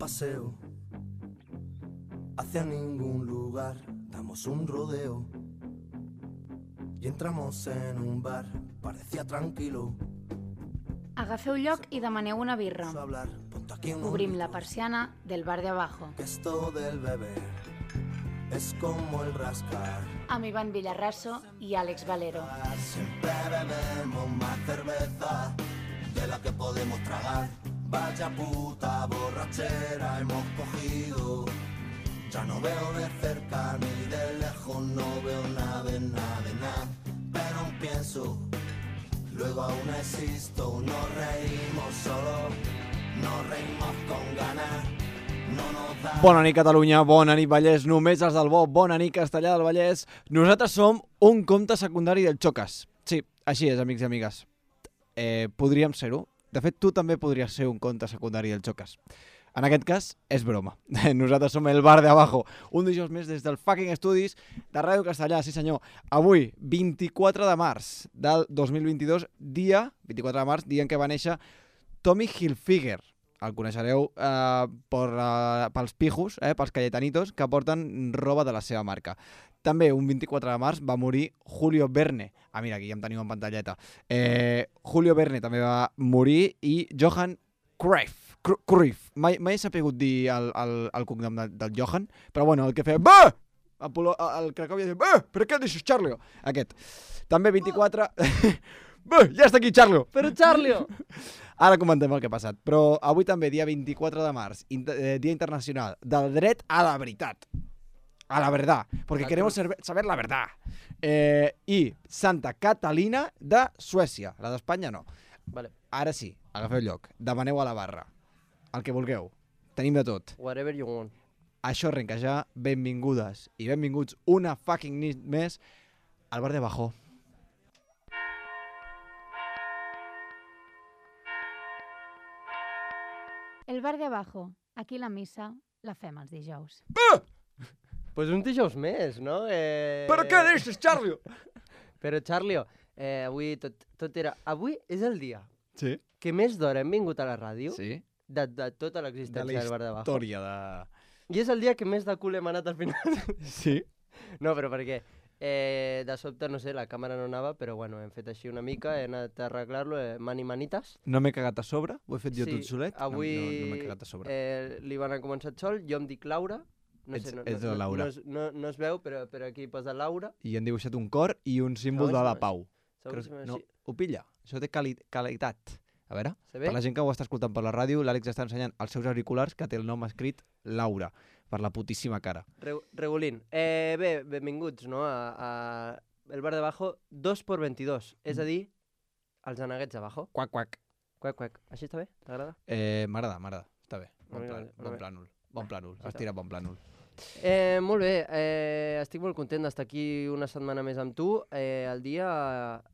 paseo hacia ningún lugar, damos un rodeo y entramos en un bar, parecía tranquilo. Agafeu lloc i demaneu una birra. Hablar, ponte aquí unos Obrim la litros, persiana del bar de abajo. que esto del beber es como el rascar. Amb Ivan Villarraso i Àlex Valero. Siempre bebemos más cerveza de la que podemos tragar. Vaya puta borrachera hemos cogido. Ya no veo de cerca ni de lejos, no veo nada de nada de nada. Pero aún pienso, luego aún existo. Nos reímos solo, nos reímos con ganas. No nos da... Bona nit, Catalunya, bona nit, Vallès, només els del bo, bona nit, Castellà del Vallès. Nosaltres som un compte secundari del Xocas. Sí, així és, amics i amigues. Podríem ser-ho. De fet, tu també podries ser un compte secundari del Xocas. En aquest cas, és broma. Nosaltres som el bar de abajo. Un dijous més des del fucking estudis de Ràdio Castellà, sí senyor. Avui, 24 de març del 2022, dia 24 de març, dia en què va néixer Tommy Hilfiger. El coneixereu pels pijos, pels cayetanitos, que porten roba de la seva marca. També, un 24 de març, va morir Julio Verne. Ah, mira, aquí ja em teniu en pantalleta. Julio Verne també va morir i Johan Cruyff. Mai he sapigut dir el cognom del Johan, però bueno, el que feia... Bah! El Cracòvia deia... Bah! Per què deixes Charlio? Aquest. També 24... Bah! Ja està aquí Charlio! Però Charlio! Ara comentem el que ha passat. Però avui també, dia 24 de març, Dia Internacional del Dret a la Veritat. A la verdad, porque queremos saber la verdad. I Santa Catalina de Suècia. La d'Espanya no. Vale. Ara sí, agafeu lloc. Demaneu a la barra. El que vulgueu. Tenim de tot. Whatever you want. Això arrenca ja. Benvingudes i benvinguts una fucking nit més al bar de abajo. El bar de abajo. Aquí la missa la fem els dijous. Pues un dijous més, no? Però què deixes, Charlio? Però, Charlio, avui tot era... Avui és el dia Sí. que més d'hora hem vingut a la ràdio Sí. de tota De l'existència del bar de la abajo. història de... I és el dia que més de cul hem anat al final. Sí. No, però perquè de sobte, no sé, la càmera no anava, però bueno, hem fet així una mica, he anat a arreglar-lo, manitas. No m'he cagat a sobre? Ho he fet jo Sí, tot solet? avui No m'he cagat a sobre. l'Ivan ha començat sol, jo em dic Laura. No sé, Ets la Laura. No es veu, però aquí posa Laura. I han dibuixat un cor i un símbol de la pau. Segons No, ho pilla. Això té qualitat. A veure, Se ve? per la gent que ho està escoltant per la ràdio, l'Àlex està ensenyant els seus auriculars que té el nom escrit Laura, per la putíssima cara. Regulín. Bé, benvinguts, no? A el bar de abajo 2x22, és a dir, els aneguets abajo. Quac, quac. Quac. Així està bé? T'agrada? M'agrada. Està bé. Bon Vale. plànol. Bon plànol. Has tirat bon plànol. Molt bé, estic molt content d'estar aquí una setmana més amb tu, el dia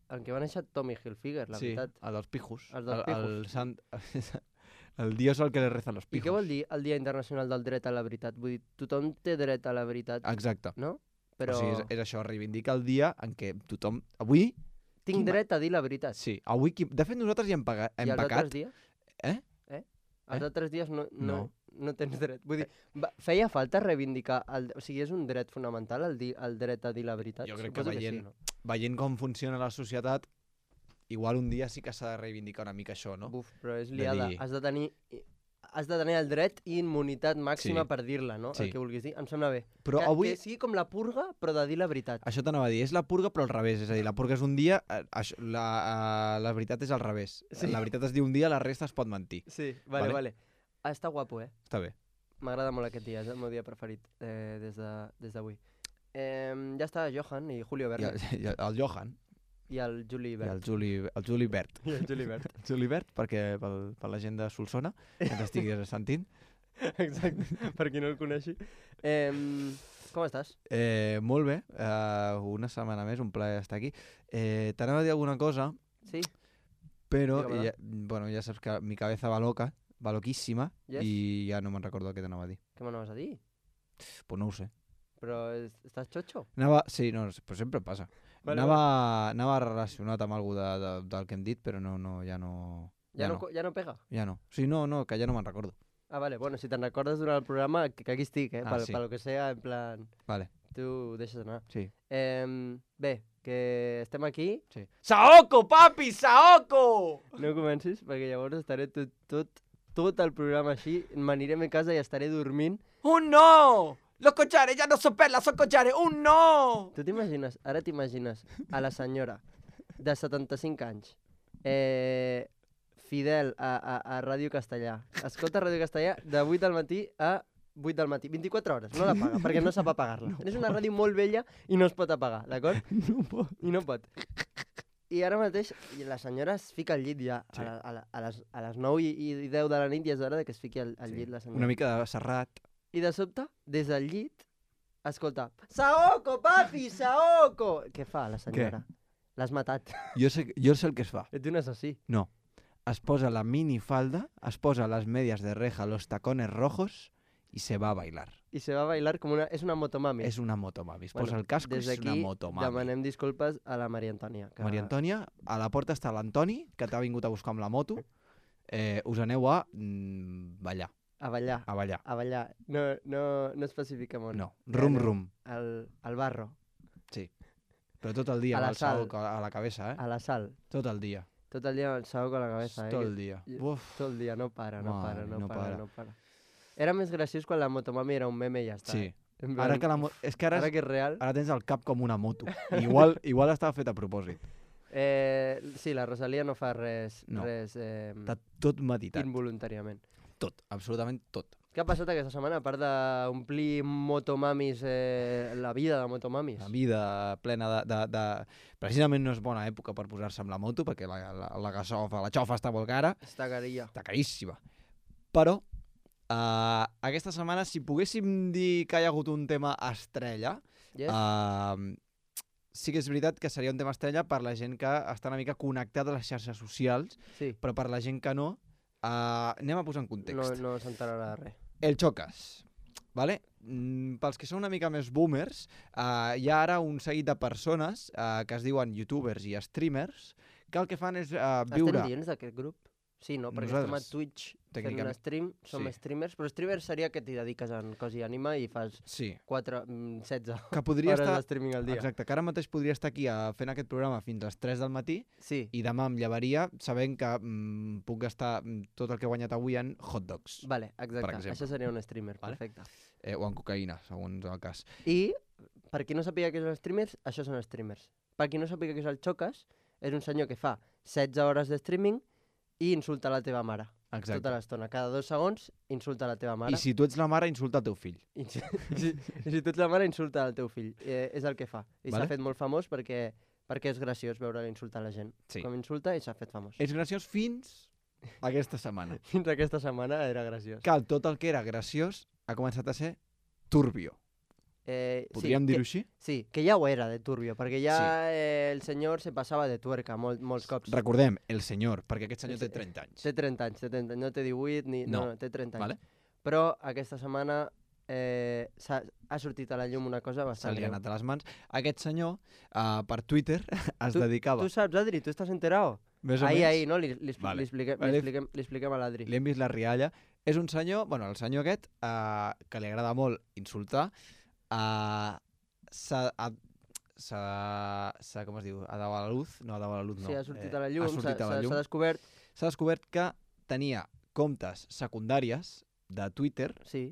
en què va néixer Tommy Hilfiger, la veritat. Sí, el dels pijos. Els dels pijos. El dios al que le rezan los I pijos. què vol dir el Dia Internacional del Dret a la Veritat? Vull dir, tothom té dret a la veritat, Exacte. no? Però... Però O sigui, és això, reivindica el dia en què tothom... Avui... tinc dret a dir la veritat. Sí, avui... De fet, nosaltres ja hem I els pecat. altres dies? Eh? Els altres dies No. no tens dret. Vull dir, feia falta reivindicar... O sigui, és un dret fonamental el dret a dir la veritat? Jo crec que Suposo veient, sí, no? veient com funciona la societat, igual un dia sí que s'ha de reivindicar una mica això, no? Buf, però és De liada. dir- Has de tenir el dret i immunitat màxima Sí. per dir-la, no? Sí. El que vulguis dir. Em sembla bé. Però avui... Que sigui com la purga, però de dir la veritat. Això t'anava a dir, és la purga però al revés, és a dir, la purga és un dia, la veritat és al revés. Sí. La veritat es diu un dia, la resta es pot mentir. Sí, Vale. vale. Està guapo, Està bé. M'agrada molt aquest dia, és el meu dia preferit des d'avui. Ja està Johan i Julio Verne. I el Johan I el Juli i Verne. el Juli Bert. I el Juli Verne. El Juli Bert, perquè per la gent de Solsona, que ens estiguis sentint. Exacte, per qui no el coneixi. Com estàs? Molt bé, una setmana més, un plaer estar aquí. T'anava a dir alguna cosa, Sí? però Dígame-la. bueno, ja saps que mi cabeza va loca, va loquíssima, Yes. i ja no me'n recordo què t'anava a dir. Què m'anaves a dir? Pues no ho sé. Però estàs xotxo? Sí, no, però sempre passa. Vale, Anava relacionat amb alguna del que hem dit, però ja no... Ja no pega? Ja no. Sí, no, que ja no me'n recordo. Ah, vale, bueno, si te'n recordes durant el programa, que aquí estic, Sí. Pel que sea, en plan, Vale, tu deixes anar. sí. Bé, que estem aquí, Sí. Saoko, papi, Saoko! no comencis, perquè llavors estaré tot el programa així, m'aniré a mi casa i estaré dormint. Un no! Los collares ya no son perlas, son collares. Un no! Tu t'imagines, ara t'imagines a la senyora de 75 anys, fidel a Ràdio Castellà, escolta Ràdio Castellà de 8 del matí a 8 del matí, 24 hores, no la paga, perquè no sap apagar-la. No. És una ràdio molt vella i no es pot apagar, d'acord? No pot. I no pot. I ara mateix la senyora es fica al llit ja, Sí. a les 9 i 10 de la nit, i és hora que es fiqui al llit la senyora. Una mica de serrat. I de sobte, des del llit, escolta, Saoko, papi, Saoko! Què fa la senyora? L'has matat. Jo sé el que es fa. Ets un assassí. No. Es posa la minifalda, es posa las medias de reja, los tacones rojos y se va a bailar. I se va a bailar com una... És una motomami. És una motomami. Es Bueno, posa el casco i des és una d'aquí motomami. demanem disculpes a la Maria Antònia. Que... Maria Antònia, a la porta està l'Antoni, que t'ha vingut a buscar amb la moto. Us aneu a ballar. A ballar. A ballar. A ballar. No especifiquem on. No, rum rum. Al barro. Sí. Però tot el dia A la amb el sal. Saoko a la cabeza, A la sal. Tot el dia. Tot el dia amb el Saoko a la cabeza. Tot el dia. Uf. Tot el dia. No para, no Mare, para, no para. no para. Era més graciós quan la motomami era un meme i ja està. Sí. En Ara plan, que és que ara ara que és real. ara tens el cap com una moto. Igual estava fet a propòsit. Sí, la Rosalia no fa res, No. res Està tot meditat. involuntàriament. Tot, absolutament tot. Què ha passat aquesta setmana, a part d'omplir motomamis, la vida de motomamis? La vida plena de... Precisament no és bona època per posar-se amb la moto, perquè la gasofa, la xofa està molt cara, Està carilla. està caríssima. Però aquesta setmana, si poguéssim dir que hi ha hagut un tema estrella, Yes? sí que és veritat que seria un tema estrella per la gent que està una mica connectada a les xarxes socials, Sí, però per la gent que no, anem a posar en context. no s'enterarà de res. El Chocas, ¿vale? Pels que són una mica més boomers, hi ha ara un seguit de persones que es diuen youtubers i streamers que el que fan és viure... Estem dins d'aquest grup? Sí, no? Perquè Nosaltres, estem a Twitch fent un tècnicament, stream, som sí. streamers, però streamer seria que t'hi dediques en cos i ànima i fas Sí, 16 que podria hores estar... de streaming al dia. Exacte, que ara mateix podria estar aquí fent aquest programa fins a les 3 del matí Sí, i demà em llevaria sabent que puc gastar tot el que he guanyat avui en hot dogs vale, exacte. exemple. Això seria un streamer, Vale. perfecte. o en cocaïna, segons el cas. I, per qui no sàpiga què són streamers, això són streamers. Per qui no sàpiga què és el Chocas, és un senyor que fa 16 hores de streaming i insulta la teva mare. Exacte. Tota l'estona. Cada 2 segons insulta la teva mare. I si tu ets la mare, insulta el teu fill. I si tu ets la mare, insulta el teu fill. És el que fa. I Vale. s'ha fet molt famós perquè és graciós veure insultar la gent. Sí. Com insulta i s'ha fet famós. És graciós fins aquesta setmana. Fins aquesta setmana era graciós. Que tot el que era graciós ha començat a ser turbio. Podríem dir-ho així? Sí, que ja ho era de turbio, perquè ja el senyor se passava de tuerca molts cops. Recordem, el senyor, perquè aquest senyor té 30 anys. Té 30 anys, no té 18, no, té 30 anys. Vale? Però aquesta setmana ha sortit a la llum una cosa Se bastant li ha greu. anat a les mans. Aquest senyor, per Twitter, es dedicava... Tu saps, Adri? Tu estàs enterado? Més o Ahir, menys, no? Li Vale. expliquem a l'Adri. li hem vist la rialla. És un senyor, bueno, el senyor aquest, que li agrada molt insultar, com es diu? Ha dado a la luz? No, ha dado a la luz, no. Sí, ha sortit a la llum, ha sortit a la llum. s'ha descobert. S'ha descobert que tenia comptes secundàries de Twitter Sí,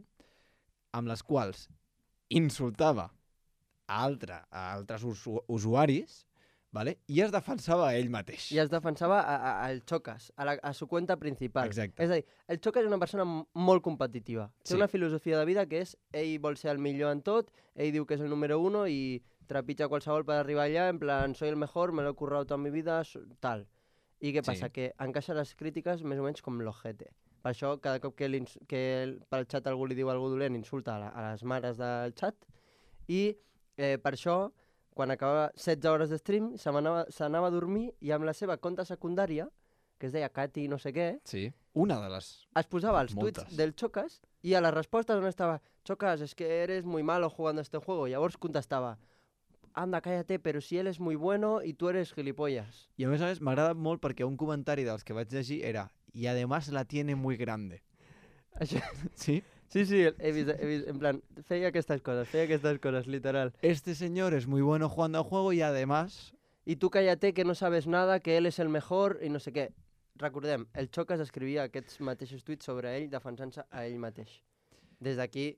amb les quals insultava a altres usuaris, ¿vale? I es defensava a ell mateix. i es defensava al Chocas, a su cuenta principal. Exacte. És a dir, el Chocas és una persona molt competitiva. Té Sí. una filosofia de vida que és ell vol ser el millor en tot, ell diu que és el número 1 i trepitja qualsevol per arribar allà, en plan, soy el mejor, me lo he currado toda mi vida, tal. I què passa? Sí. Que encaixa les crítiques més o menys com l'ojete. Per això, cada cop que pel xat algú li diu alguna dolent, insulta a les mares del xat. I per això, quan acabava 16 hores de stream, s'anava a dormir i amb la seva compte secundària, que es deia Katy no sé què, Sí, una de les... es posava els Moltes. tuits del Chocas i a les respostes on estava Chocas, es que eres muy malo jugando a este juego. Llavors contestava anda, cállate, pero si él es muy bueno y tú eres gilipollas. I a més m'agrada molt perquè un comentari dels que vaig llegir era y además la tiene muy grande. Això... Sí? Sí, he vist, en plan, feia aquestes coses, literal. Este señor es muy bueno jugando al juego y además... I tu cállate que no sabes nada, que él és el mejor i no sé què. Recordem, el Chocas escrivia aquests mateixos tuits sobre ell defensant-se a ell mateix. Des d'aquí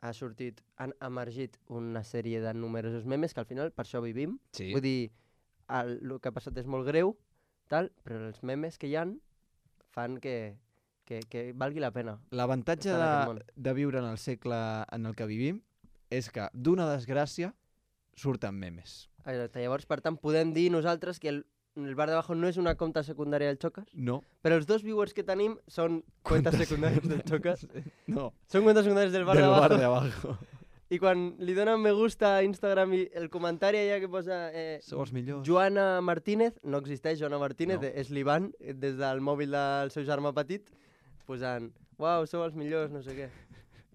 han emergit una sèrie de numerosos memes que al final per això vivim. Sí. Vull dir, el que ha passat és molt greu, tal, però els memes que hi han fan que valgui la pena. L'avantatge estar en aquest món. de viure en el segle en el que vivim és que d'una desgràcia surten memes. Exacte. Llavors, per tant, podem dir nosaltres que el bar de abajo no és una compta secundària del Chocas, No. però els 2 viewers que tenim són comptes secundàries del Chocas. No. Són comptes secundàries del bar Del de abajo. bar de abajo. I quan li donen me gusta a Instagram i el comentari allà que posa Sou els millors. Joana Martínez, no existeix Joana Martínez, No. és l'Ivan, des del mòbil del seu germà petit, posant, uau, sou els millors, no sé què.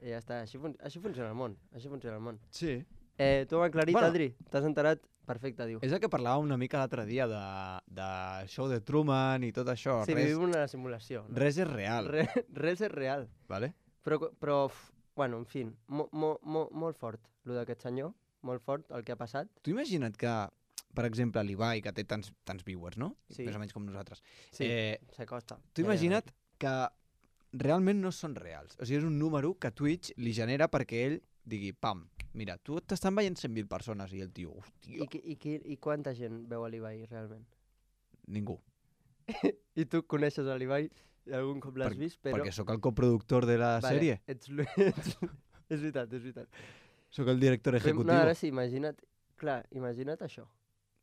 I ja està, així funciona el món, Sí. Tu m'ha aclarit, Bueno. Adri, t'has enterat? Perfecte, diu. És el que parlàvem una mica l'altre dia de show de Truman i tot això. Sí, vivim una simulació. No? Res és real. Res és real. Vale? Però bueno, en fi, molt fort, el d'aquest senyor, molt fort el que ha passat. Tu imagina't que, per exemple, l'Ibai, que té tants viewers, no? Sí. Més o menys com nosaltres. Sí, s'acosta. Tu imagina't que realment no són reals. O sigui, és un número que Twitch li genera perquè ell digui, pam, mira, tu t'estan veient 100.000 persones i el tio, hòstia, I quanta gent veu a l'Ibai, realment? ningú. I tu coneixes a l'Ibai, i algun cop l'has vist, però... Perquè sóc el coproductor de la sèrie. És veritat. Sóc el director No, ejecutiu. ara sí, imagina't això.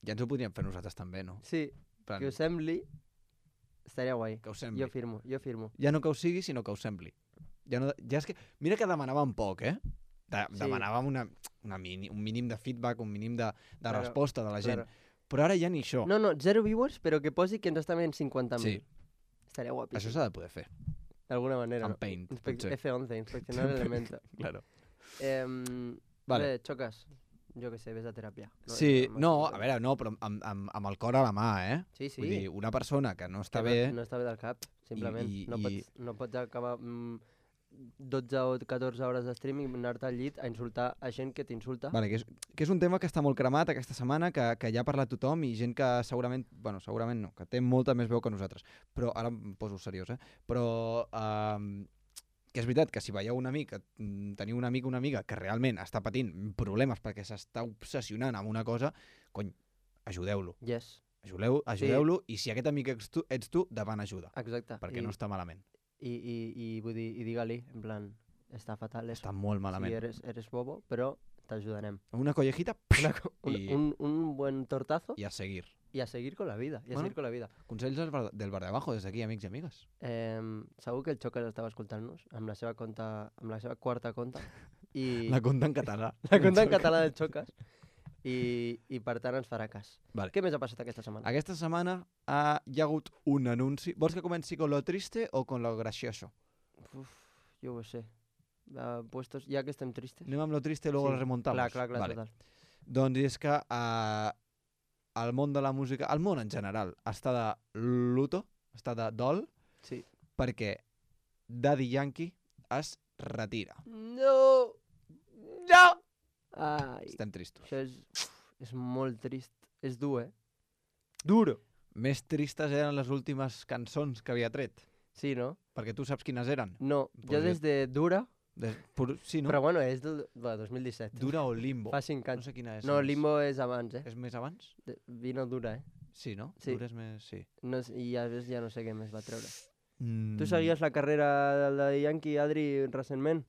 Ja ens ho podríem fer nosaltres també, no? Sí, Plan, que us sembli, estaria guai. que us sembli. Jo firmo. Ja no que us sigui, sinó que us sembli. Ja és que... Mira que demanàvem poc, eh? Demanàvem un mínim de feedback, un mínim de Claro, resposta de la gent. Claro. Però ara ja ni això. No, 0 viewers, però que posi que ens està veient 50.000. Sí. Estaria guapíssim. Això s'ha de poder fer. D'alguna manera. Amb Paint, potser. F11, inspeccionar Elementor. Claro. Vale. Xocas. Jo què sé, ves a teràpia. Sí, no, a veure, no, però amb el cor a la mà, eh? Sí, sí. Vull dir, una persona que no està Que bé... No està bé del cap, simplement. I- No pots acabar 12 o 14 hores de streaming, anar-te al llit a insultar a gent que t'insulta. Vale, que és un tema que està molt cremat aquesta setmana, que ja ha parlat tothom i gent que segurament no, que té molta més veu que nosaltres. Però ara em poso seriós, eh? Però que és veritat que si veieu un amic, teniu un amic o una amiga que realment està patint problemes perquè s'està obsessionant amb una cosa, cony, ajudeu-lo. Yes, Ajudeu-lo i si aquest amic ets tu, davant ajuda, exacte. perquè no està malament. I vull dir, digue-li, en plan, està fatal. Està molt malament. Sí, eres bobo, però t'ajudarem. Una collejita i Un buen tortazo a seguir. i a seguir con la vida. Consells del bar de abajo, des d'aquí, amics i amigues. Segur que el Xocas estava escoltant-nos amb la seva quarta conta. I La conta en català. la conta en català del Xocas. I per tant ens farà cas. Vale. Què més ha passat aquesta setmana? Aquesta setmana hi ha hagut un anunci. Vols que comenci con lo triste o con lo gracioso? Uf, jo ho sé. Puestos, ja que estem tristes. Anem amb lo triste i luego lo remontamos. Clar, Vale. total. Doncs és que el món de la música, el món en general, està de luto, està de dol, Sí. perquè Daddy Yankee es retira. No! No! Ai, Estem tristos. això és molt trist. És dur, eh? Duro! Més tristes eren les últimes cançons que havia tret. Sí, no? Perquè tu saps quines eren. No, Pues jo des de Dura, Sí, no? però bueno, és del 2017. Dura o Limbo. Fa 5 No anys. sé quina és. No, més. Limbo és abans, eh? És més abans? Vino Dura, eh? Sí, no? Sí. Dura és més... Sí. No, I a més ja no sé què més va treure. Mm. Tu seguies la carrera del de Yankee, Adri, recentment?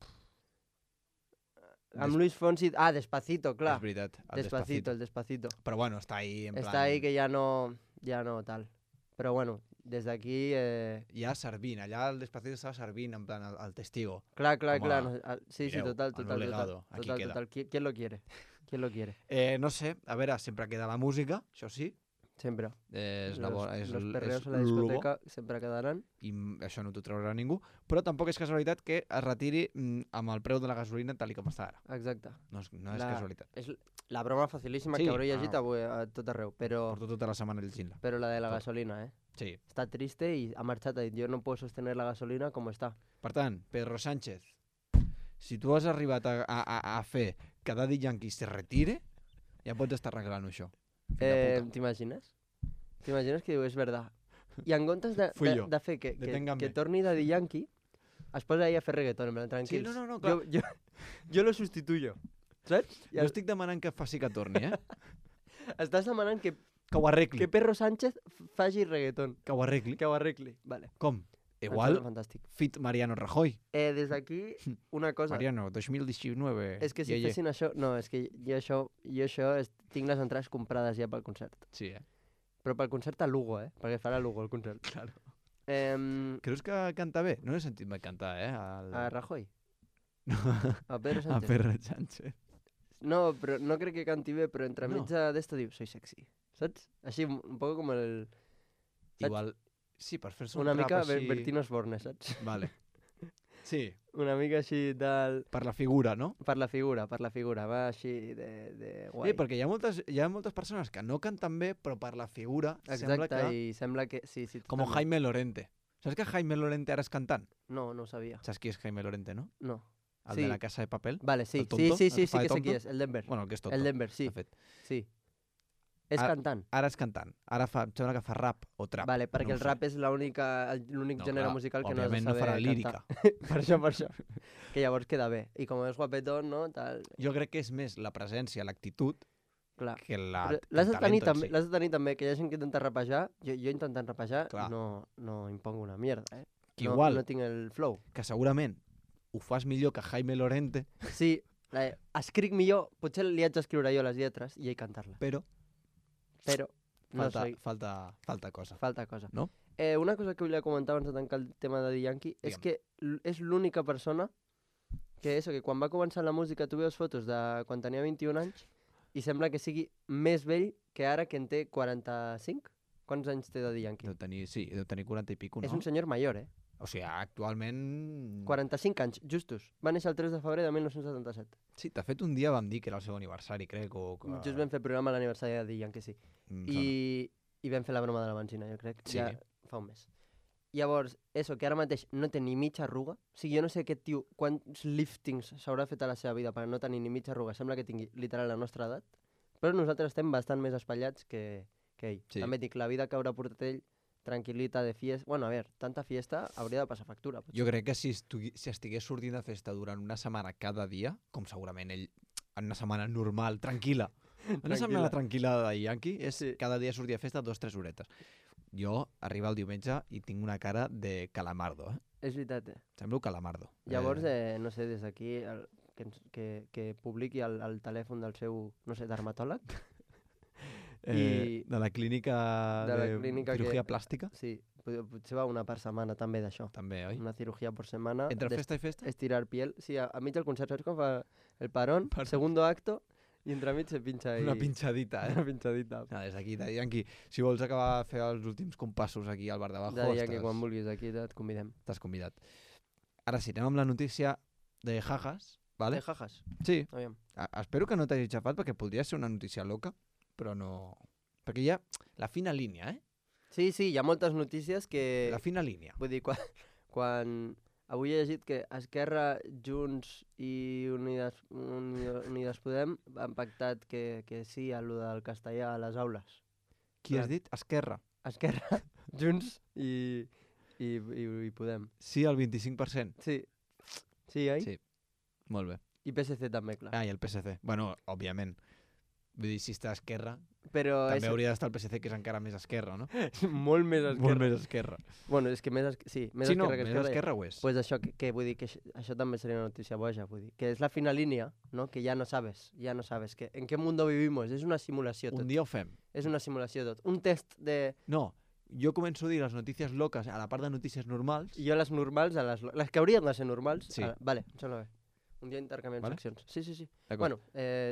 Amb Luis Fonsi... Ah, Despacito, clar. És veritat. El Despacito. Però bueno, està ahí en plan... Està ahí que ja no tal. Però bueno, des d'aquí... Ja servint, allà el Despacito estava servint, en plan, el testigo. Clar. Com a, No, sí, mireu, total. el meu legado, aquí queda. Total. ¿Quién lo quiere? ¿Quién lo quiere? No sé, a veure, sempre queda la música, això sí. Sempre. És Los perreos a la discoteca sempre quedaran. I això no t'ho traurà ningú, però tampoc és casualitat que es retiri amb el preu de la gasolina tal com està ara. Exacte. No és casualitat. És la broma facilíssima Sí, que hauré llegit avui a tot arreu, però Porto tota la setmana llegint-la. la de la Tot. gasolina, eh? Sí. Està triste i ha marxat, ha dit, jo no puedo sostener la gasolina com està. Per tant, Pedro Sánchez, si tu has arribat a fer que Daddy Yankee se retire, ja pots estar arreglant això. Fill de puta. T'imagines? T'imagines que diu, és verdad. I en comptes Fui jo. de fer que Deténganme. torni Daddy Yankee, es posa ahí a fer reggaeton, en plan, tranquils. Sí, no, clar. Jo lo sustituyo. Saps? Jo estic demanant que faci que torni, Estàs demanant que Que ho arregli. que Pedro Sánchez faci reggaeton. Que ho arregli. Que ho arregli. Vale. Com? Em Igual, sembla fantàstic. fit Mariano Rajoy. Des d'aquí, una cosa. Mariano, 2019. És que si fessin això... No, és que jo tinc les entrades comprades ja pel concert. Sí, Però pel concert a Lugo, perquè farà a Lugo el concert. Claro. A Creus que canta bé? No l'he sentit mai cantar, Rajoy. No, A Pedro a Sánchez. Pedro Sánchez. No, però no crec que canti bé, però entremig No. d'esto diu, soy sexy. Saps? Així, un poc com el... Saps? Igual, sí, per fer-se un Una rap mica així... Bertino Osborne, saps? Vale. Sí, Una mica així del... per la figura, no? Per la figura, va així de guai. Sí, perquè hi ha moltes persones que no canten bé, però per la figura sembla Exacte, que... i sembla que... Sí, Com totalment. Jaime Lorente. Saps que Jaime Lorente ara és cantant? No, no ho sabia. Saps qui és Jaime Lorente, no? No. El Sí. de la Casa de Papel. Vale, sí, El tonto? sí El que fa de que sé qui tonto? és, el Denver. Bueno, el que és tonto. El Denver, sí, de fet. sí. És Ara- cantant. Ara és cantant. Ara em sembla que fa rap o trap. Vale, perquè no ho el sé. rap és l'únic gènere clar, musical que no has de òbviament saber no farà cantar. lírica. per això. Que llavors queda bé. I com és guapetón, no? Tal... Jo crec que és més la presència, l'actitud, Clar. que la, Però el l'has de tenir talento en també, si. l'has de tenir també, que hi ha gent que intenta rapejar. Jo intentant rapejar Clar. no impongo una mierda, Que no, igual, no tinc el flow. que segurament ho fas millor que Jaime Lorente, Sí, escric millor, potser li haig d'escriure jo les lletres i ell cantar-la. però Però no soy... falta cosa. Falta cosa. No? Una cosa que volia comentar abans de tancar el tema de Yankee és Digue'm. que és l'única persona que quan va començar la música tu veus fotos de quan tenia 21 anys i sembla que sigui més vell que ara que en té 45. Quants anys té Daddy Yankee? Deu tenir 40 i pico, no? És un senyor major, O sigui, actualment... 45 anys, justos. Va néixer el 3 de febrer de 1977. Sí, de fet, un dia vam dir que era el seu aniversari, crec, o... Que... Just vam fer programa a l'aniversari de Daddy Yankee, sí. Em sona. I vam fer la broma de la benzina, jo crec. Sí. Ja fa un mes. Llavors, que ara mateix no té ni mitja arruga. O sigui, jo no sé aquest tio quants liftings s'haurà fet a la seva vida per no tenir ni mitja arruga. Sembla que tingui literal la nostra edat. Però nosaltres estem bastant més espatllats que ell. Sí. També dic, la vida que haurà portat ell, tranquil·lita, de fiesta... Bueno, a veure, tanta fiesta hauria de passar factura. Potser. Jo crec que si estigués sortint de festa durant una setmana cada dia, com segurament ell en una setmana normal, tranquil·la, una setmana tranquil·la de Yankee és cada dia sortir de festa 2-3 horetes. Jo arriba el diumenge i tinc una cara de calamardo, És veritat, Semblo calamardo. Llavors, no sé, des d'aquí que publiqui el telèfon del seu, no sé, dermatòleg. De la clínica de la de clínica cirugía que- plàstica, Sí, potser va una per setmana també d'això. també, oi? Una cirugía por semana. Entre festa i festa? Estirar piel. Sí, a mig del concert, saps com fa el parón, segundo acto, i entremig se pinxa ahí. Una pinxadita, Una pinxadita. Des d'aquí, Daddy Yankee, si vols acabar de fer els últims compassos aquí al bar de Bajo, De dia que quan vulguis aquí et convidem. estàs convidat. Ara sí, anem amb la notícia de Jajas, vale? De jajas, Sí, aviam. espero que no t'hagi xafat perquè podria ser una notícia loca, però no... Perquè hi ha la fina línia, Sí, hi ha moltes notícies que... La fina línia. Vull dir, quan avui he llegit que Esquerra, Junts i Unides Podem han pactat que sí a lo del castellà a les aules. Qui has dit? Esquerra. Esquerra, Junts i Podem. Sí, al 25%. Sí, oi? Sí. Molt bé. I PSC també, clar. Ah, i el PSC. Bueno, òbviament. Vull dir, si està a Esquerra, Però també hauria d'estar el PSC, que és encara més Esquerra, no? és molt més Esquerra. Molt més Esquerra. Bueno, és que més Esquerra que Sí, Esquerra. no, que més Esquerra ho és. Pues això, que vull dir que això també seria una notícia boja, vull dir. Que és la fina línia, no? Que ja no sabes. Que en qué mundo vivimos. És una simulació tot. Un dia ho fem. És una simulació tot. Un test de... No, jo començo a dir les notícies loques a la part de notícies normals. I jo les normals, les que haurien de ser normals... Sí. Vale, em sembla bé. Un dia intercanviem Vale. seccions. Sí. D'acord. Bueno,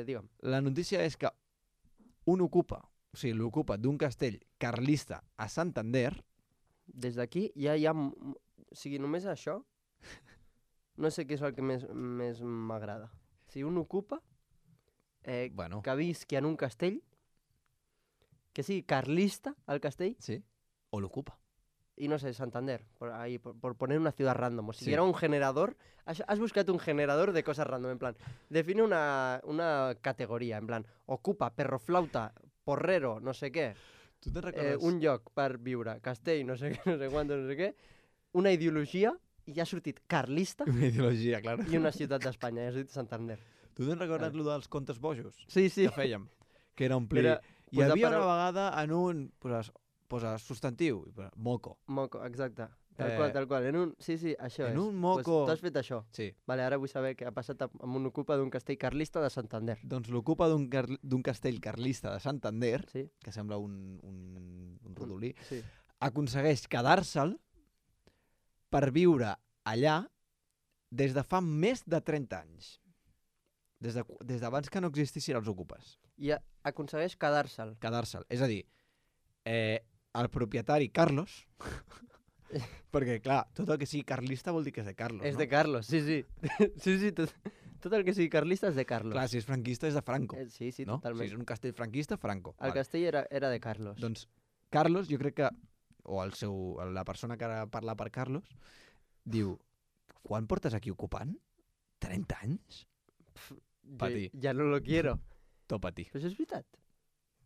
digue'm. La notícia és que l'ocupa d'un castell carlista a Santander. Des d'aquí ja hi ha... O sigui, només això, no sé què és el que més m'agrada. Si un ocupa, Bueno, que visqui en un castell, que sigui carlista, el castell, sí. O l'ocupa. Y no sé, Santander, por ahí, por poner una ciudad random. O si Sí. era un generador, has buscado un generador de cosas random, en plan, define una categoría, en plan, ocupa, perroflauta, porrero, no sé què, Tu te'n recordes? un lloc per viure, castell, no sé què, no sé quantos, no sé què, una ideologia, i ha sortit carlista Una ideologia, clar. i una ciutat d'Espanya, i ha sortit Santander. Tu te'n recordes lo dels contes bojos? Sí, sí. Que fèiem? Que era omplir... Era Hi posar havia una parau- vegada en un... Posa substantiu, i posa moco. Moco, exacte. Eh, Tal qual. Sí, això en és. un moco- Pues, tu has fet això. Sí. Vale, ara vull saber què ha passat amb un ocupa d'un castell carlista de Santander. Doncs l'ocupa d'un castell carlista de Santander, Sí? que sembla un rodolí, Sí. aconsegueix quedar-se'l per viure allà des de fa més de 30 anys. Des d'abans que no existissin els ocupes. I aconsegueix quedar-se'l. Quedar-se'l. És a dir, el propietari Carlos, perquè, clar, tot el que sigui carlista vol dir que és de Carlos, És no? de Carlos, sí, sí. Sí, tot el que sigui carlista és de Carlos. Clar, si és franquista és de Franco, Sí, sí, no? totalment. Si és un castell franquista, Franco. El castell era de Carlos. Doncs Carlos, jo crec que, o la persona que ara parla per Carlos, diu, quan portes aquí ocupant? 30 anys? Patí. Ja no lo quiero. Tot patí. Però això és veritat.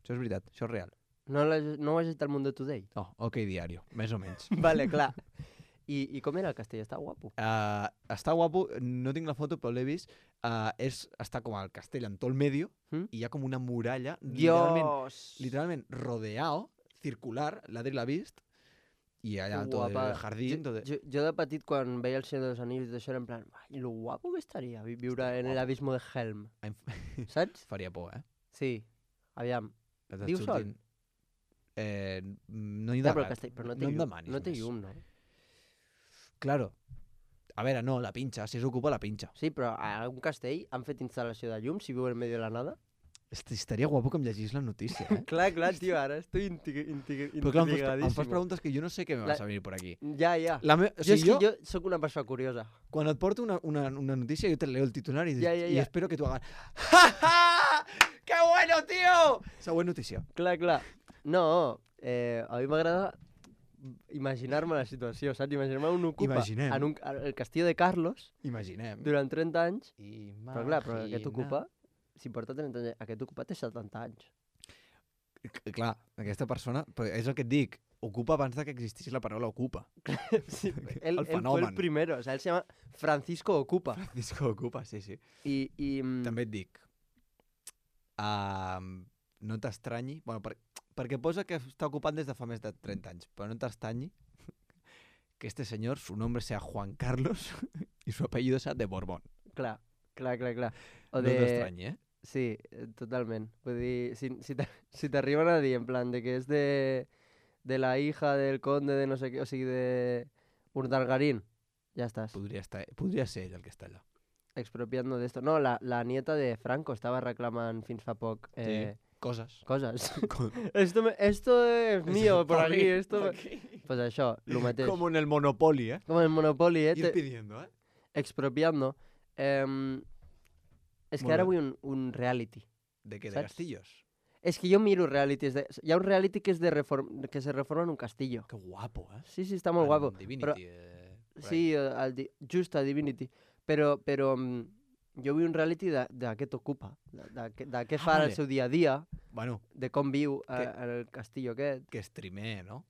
Això és veritat, això és real. No ho has llegit al Mundo Today? Oh, ok, diario, més o menys. Vale, clar. I com era el castell? Està guapo. Està guapo, no tinc la foto, però l'he vist. Està com al castell en tot el medio i hi ha com una muralla literalment rodeado, circular, l'Adri l'ha vist, i allà tot el jardí... Jo de petit, quan veia el Senyor dels Anills, d'això era en plan, ai, lo guapo que estaria viure en el abismo de Helm. Saps? Faria por, eh? Sí. Aviam. Et Viu sol? surtin- no hi Ja, ha però el castell, però no té em llum, demanis no té més. llum, no? Claro. A veure, no, la pinxa. Si s'ocupa, la pinxa. Sí, però a un castell han fet instal·lació de llum si viu en medio de la nada? Estaria guapo que em llegís la notícia, eh? Clar, tio, ara estoy Però clar, em fas preguntes que jo no sé què me vas a venir por aquí. Ja. O sigui, Jo sóc una persona curiosa. quan et porto una notícia, jo te leo el titular y Ja. espero que tu hagas ¡Ja, ja! ¡Qué bueno, tío! Següent notícia. Clar. No, a mi m'agrada imaginar-me la situació, saps? Imaginar-me un ocupa Imaginem. en el castillo de Carlos Imaginem. durant 30 anys, Imagina. però clar, però aquest ocupa, si porta 30 anys, aquest ocupa té 70 anys. Clar, aquesta persona, però és el que et dic, ocupa abans de que existís la paraula ocupa. Sí, El él fue fenomen. el primero, o sea, él se llama Francisco Ocupa. Francisco ocupa, sí. I També et dic, no t'estranyi, bueno, perquè posa que està ocupat des de fa més de 30 anys, però no t'estranyi que este señor, su nombre sea Juan Carlos y su apellido sea de Borbón. clar. O No t'estranyi, eh? Sí, totalment. Vull dir, si t'arriben a dir en plan de que és de la hija del conde de no sé què, o sigui, de Urdangarín, ja estàs. Podria ser ell el que està allà. Expropiando de esto. No, la nieta de Franco estava reclamant fins fa poc Coses. coses. Com- esto es mío por Pa' aquí, mí, esto... pa' aquí. Pues això, lo mateix. Como en el Monopoly, ¿eh? Com el Monopoly, Ir pidiendo, ¿eh? expropiando. És que Molt ara bé. vull un reality. ¿De qué? ¿De ¿Sabes? castillos? És que jo miro realities. Hi ha un reality que és que se reforma en un castillo. Qué guapo, ¿eh? Sí, està molt guapo. Divinity, Però, sí, just a Divinity. Però jo vull un reality de què t'ocupa, de què fa vale. el seu dia a dia, Bueno, de com viu en el castillo aquest. que streamee, ¿no?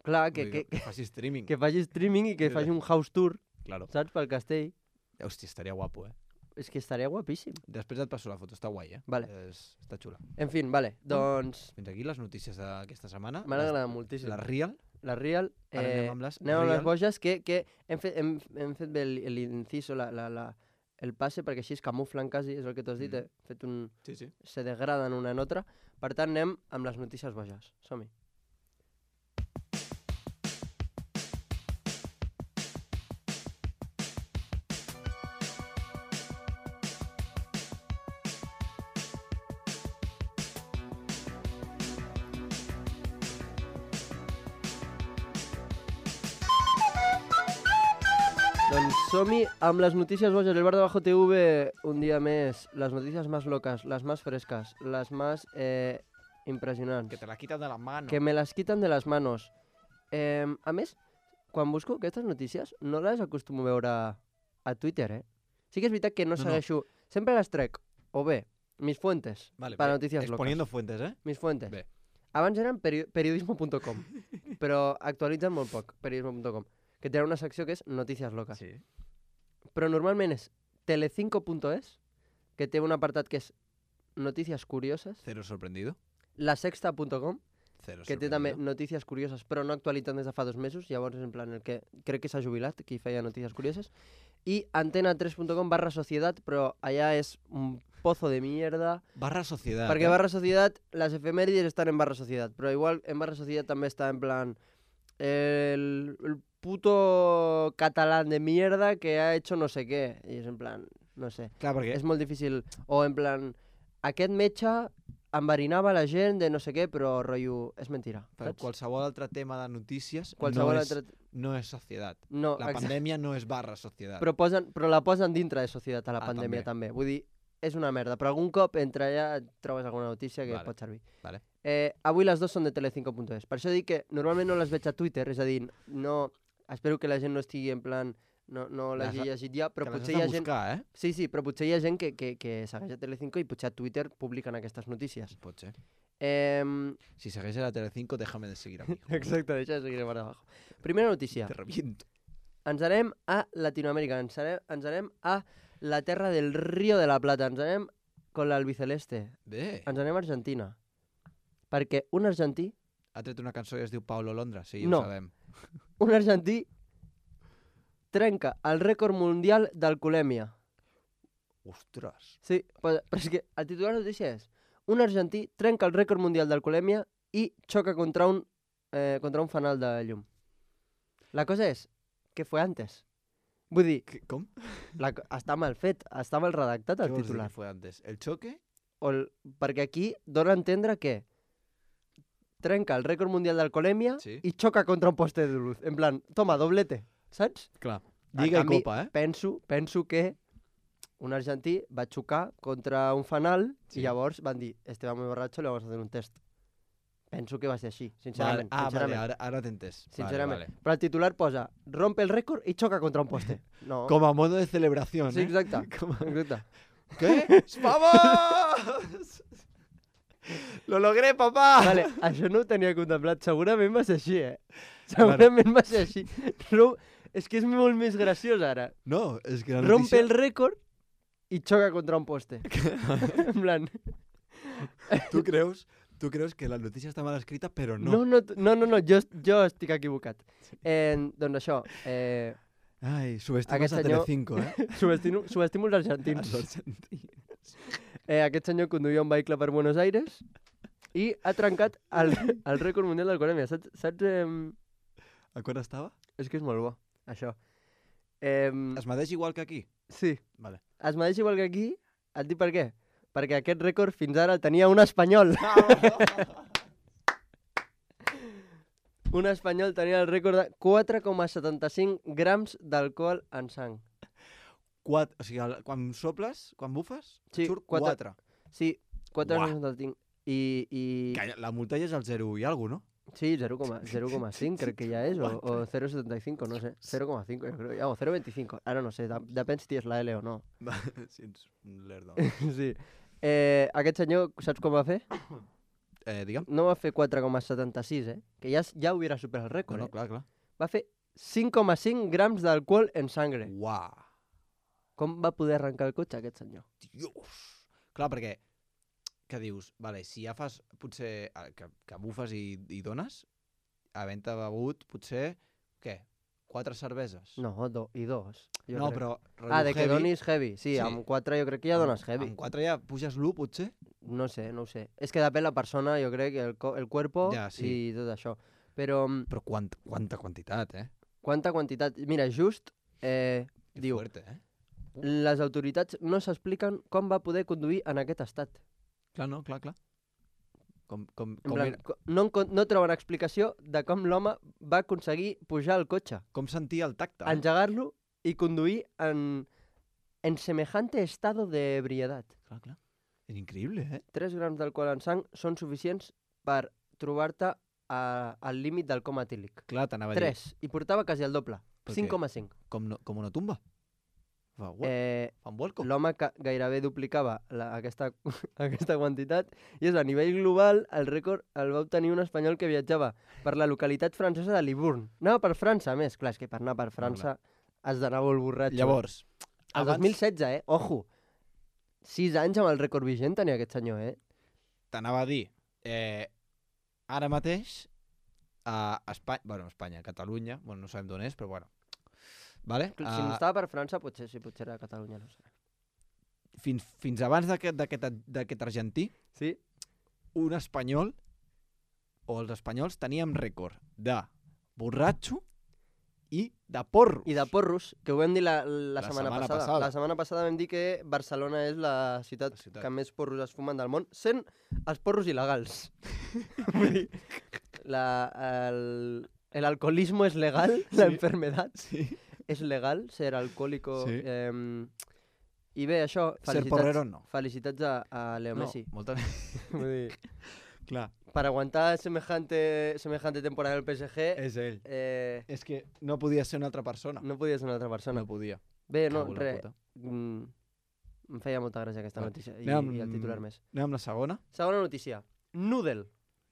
Clar, Vull dir, que faci streaming. que faci streaming i que faci un house tour, Claro. saps, pel castell. Hòstia, estaria guapo, eh? És que estaria guapíssim. Després et passo la foto, està guai, eh? Vale. Està xula. En fin, vale, doncs Fins aquí les notícies d'aquesta setmana. m'han agradat moltíssim. La Real. La Real, Ara anem amb les anem amb les Real. boges, que hem fet bé l'inciso, el passe, perquè així es camuflen quasi, és el que t'has dit, Mm. fet Sí. se degraden una en altra. Per tant, anem amb les notícies boges. Som-hi. Doncs som-hi amb les notícies boges del Bar de Bajo TV, un dia més. Les notícies más locas, las más frescas, las más impresionants. Que te la quitan de la mano. Que me las quitan de las manos. A més, quan busco aquestes notícies, no les acostumo a veure a Twitter, eh? Sí que és veritat que no segueixo... Sempre les trec, o bé, mis fuentes, para noticias locas. Exponiendo fuentes, eh? Mis fuentes. Bé. Abans eren periodismo.com, però actualitzen molt poc, periodismo.com, que tenen una secció que és notícies locas. Sí. Però normalment és telecinco.es, que té un apartat que és notícies curioses, Cero sorprendido. lasexta.com, Cero que té sorprendido. també notícies curioses, però no actualitzen des de fa 2 mesos, llavors és en plan el que crec que s'ha jubilat, qui feia notícies curioses, i antena3.com/sociedad, però allà és un pozo de mierda, Barra sociedad. perquè barra sociedad, les efemèrides estan en barra sociedad, però igual en barra sociedad també està en plan el puto catalán de mierda que ha hecho no sé què, i és en plan, no sé, Clar, perquè... és molt difícil, o en plan, aquest metge enverinava la gent de no sé què, però rotllo, és mentira, Per saps? qualsevol altre tema de notícies Qualsevol no, és, altre... no és societat. No, La exacte. pandèmia no és barra societat. Però la posen dintre de societat a la Ah, pandèmia també. també. Vull dir, és una merda, però algun cop entre allà et trobes alguna notícia que Vale. pot servir. Vale. Avui les dues són de telecinco.es. Per això dic que normalment no les veig a Twitter, és a dir, no... Espero que la gent no estigui en plan... No l'hagi llegit ja, però que les potser has hi de ha gent... buscar, eh? Sí, sí, però potser hi ha gent que segueix a Telecinco i potser a Twitter publiquen aquestes notícies. Pot ser. Eh... Si segueix a la Telecinco, déjame de seguir a mi. Exacte, deixa de seguir per abajo. Primera notícia. Te reviento. Ens anem a Latinoamèrica, ens anem a la terra del Río de la Plata, ens anem con l'albiceleste, Bé. ens anem a Argentina. Perquè un argentí, Ha tret una cançó i es diu Paulo Londra, sí, No. ho sabem. un argentí trenca el rècord mundial d'alcoholèmia. Ostres. Sí, però és que el titular de la notícia és un argentí trenca el rècord mundial d'alcoholèmia i xoca contra un fanal de llum. La cosa és que fue antes. Vull dir, Com? està mal fet, està mal redactat Què el vols dir titular. que fue antes? El choque? Perquè aquí dona a entendre que trenca el rècord mundial d'alcoholèmia Sí. i xoca contra un poste de luz. En plan, toma, doblete, saps? Clar. En Lliga i canvi, copa, eh? Penso que un argentí va xocar contra un fanal Sí. i llavors van dir, este va muy borracho, le vamos a hacer un test. Penso que va ser així, sincerament. Vale. sincerament. Vale, ara t'he entès. Sincerament. Vale, Però el titular posa, rompe el rècord i xoca contra un poste. No. vale. Com a modo de celebración, Sí, eh? exacte. Com a... Exacte. ¿Qué? ¡Vamos! ¡Lo logré, papá! Vale, això no ho tenia contemplat. Segurament va ser així, eh? Segurament va ser així. És que és molt més graciós ara. No, és que la Rompe notícia... el rècord i xoca contra un poste. En plan... Tu creus que la notícia està mal escrita, però No, jo estic equivocat. Doncs això, Ai, subestimes Aquest a senyor- Telecinco, eh? subestimo els argentins. Els argentins. Aquest senyor conduïa un vehicle per Buenos Aires i ha trencat el rècord mundial d'alcoholèmia. Saps A quan estava? és que és molt bo, això. Es medeix igual que aquí? Sí, Vale. es medeix igual que aquí. Et dic per què? Perquè aquest rècord fins ara el tenia un espanyol. Un espanyol tenia el rècord de 4,75 grams d'alcohol en sang. O sigui, quan soples, quan bufes, Sí, surt 4. 4. Sí, 4,75. I... La multa ja és el 0 i alguna cosa, Sí, 0,5 crec que ja és, o 0,75, no sé. 0,5 jo crec, o 0,25, ara no sé, depèn si és la L o no. no? Sí, ets un lerdo. Sí. Aquest senyor, saps com va fer? Digue'm. No va fer 4,76, que ja hauria superat el rècord, No, clar, clar. Va fer 5,5 grams d'alcohol en sangre. Uau. Com va poder arrencar el cotxe aquest senyor? Dios. Clar, perquè, què dius? Vale, si ja fas, potser, que bufes i dones, havent-te begut, potser, què? 4 cerveses? No, i dos. Jo No, crec. però... De que donis heavy. Sí, Sí. amb 4 jo crec que ja dones heavy. Amb 4 ja puges l'1, potser? No sé. És que depèn la persona, jo crec, el cuerpo Ja, sí. i tot això. Però, Però quanta quantitat, eh? quanta quantitat? Mira, just Que diu, fuerte, eh? les autoritats no s'expliquen com va poder conduir en aquest estat. Clar, no, clar. Com En plan, no troben explicació de com l'home va aconseguir pujar al cotxe, com sentia el tacte. engegar-lo i conduir en semejante estado de ebriedad. Clar. És increïble, eh? 3 grams d'alcohol en sang són suficients per trobar-te al límit del coma etílic. Clar, t'anava a dir. 3. I portava quasi el doble. Per què? 5,5. Com una tumba. Fa un vuelco. L'home gairebé duplicava aquesta quantitat i és a nivell global el rècord el va obtenir un espanyol que viatjava per la localitat francesa de Libourne. Anava per França, a més. Clar, és que per anar per França has d'anar molt borratxo. Llavors, El 2016, Ojo. 6 anys amb el rècord vigent tenia aquest senyor, t'anava a dir, ara mateix a Espanya, Catalunya, no sabem d'on és, però bueno. Vale? Si no estava per França, potser era a Catalunya, no sé. Fins abans d'aquest argentí, Sí? un espanyol, o els espanyols, teníem rècord de borratxo i de porros. I de porros, que ho vam dir la setmana setmana passada. passada. La setmana passada vam dir que Barcelona és la ciutat que més porros es fumen del món, sent els porros il·legals. Vull dir, el alcoholismo es legal, la enfermedad es legal, ser alcohólico. Sí. I bé, això, Ser porrero no. felicitats a Leo Messi. Molta... Vull dir, Clar, per aguantar semejante temporada del PSG, és ell. eh, És que no podia ser una altra persona. no podia ser una altra persona. No podia. Bé, no, Cago en la res. puta. Em feia molta gràcia aquesta Vale. notícia Anem i el titular més. Anem amb la segona. Segona notícia. Noodle.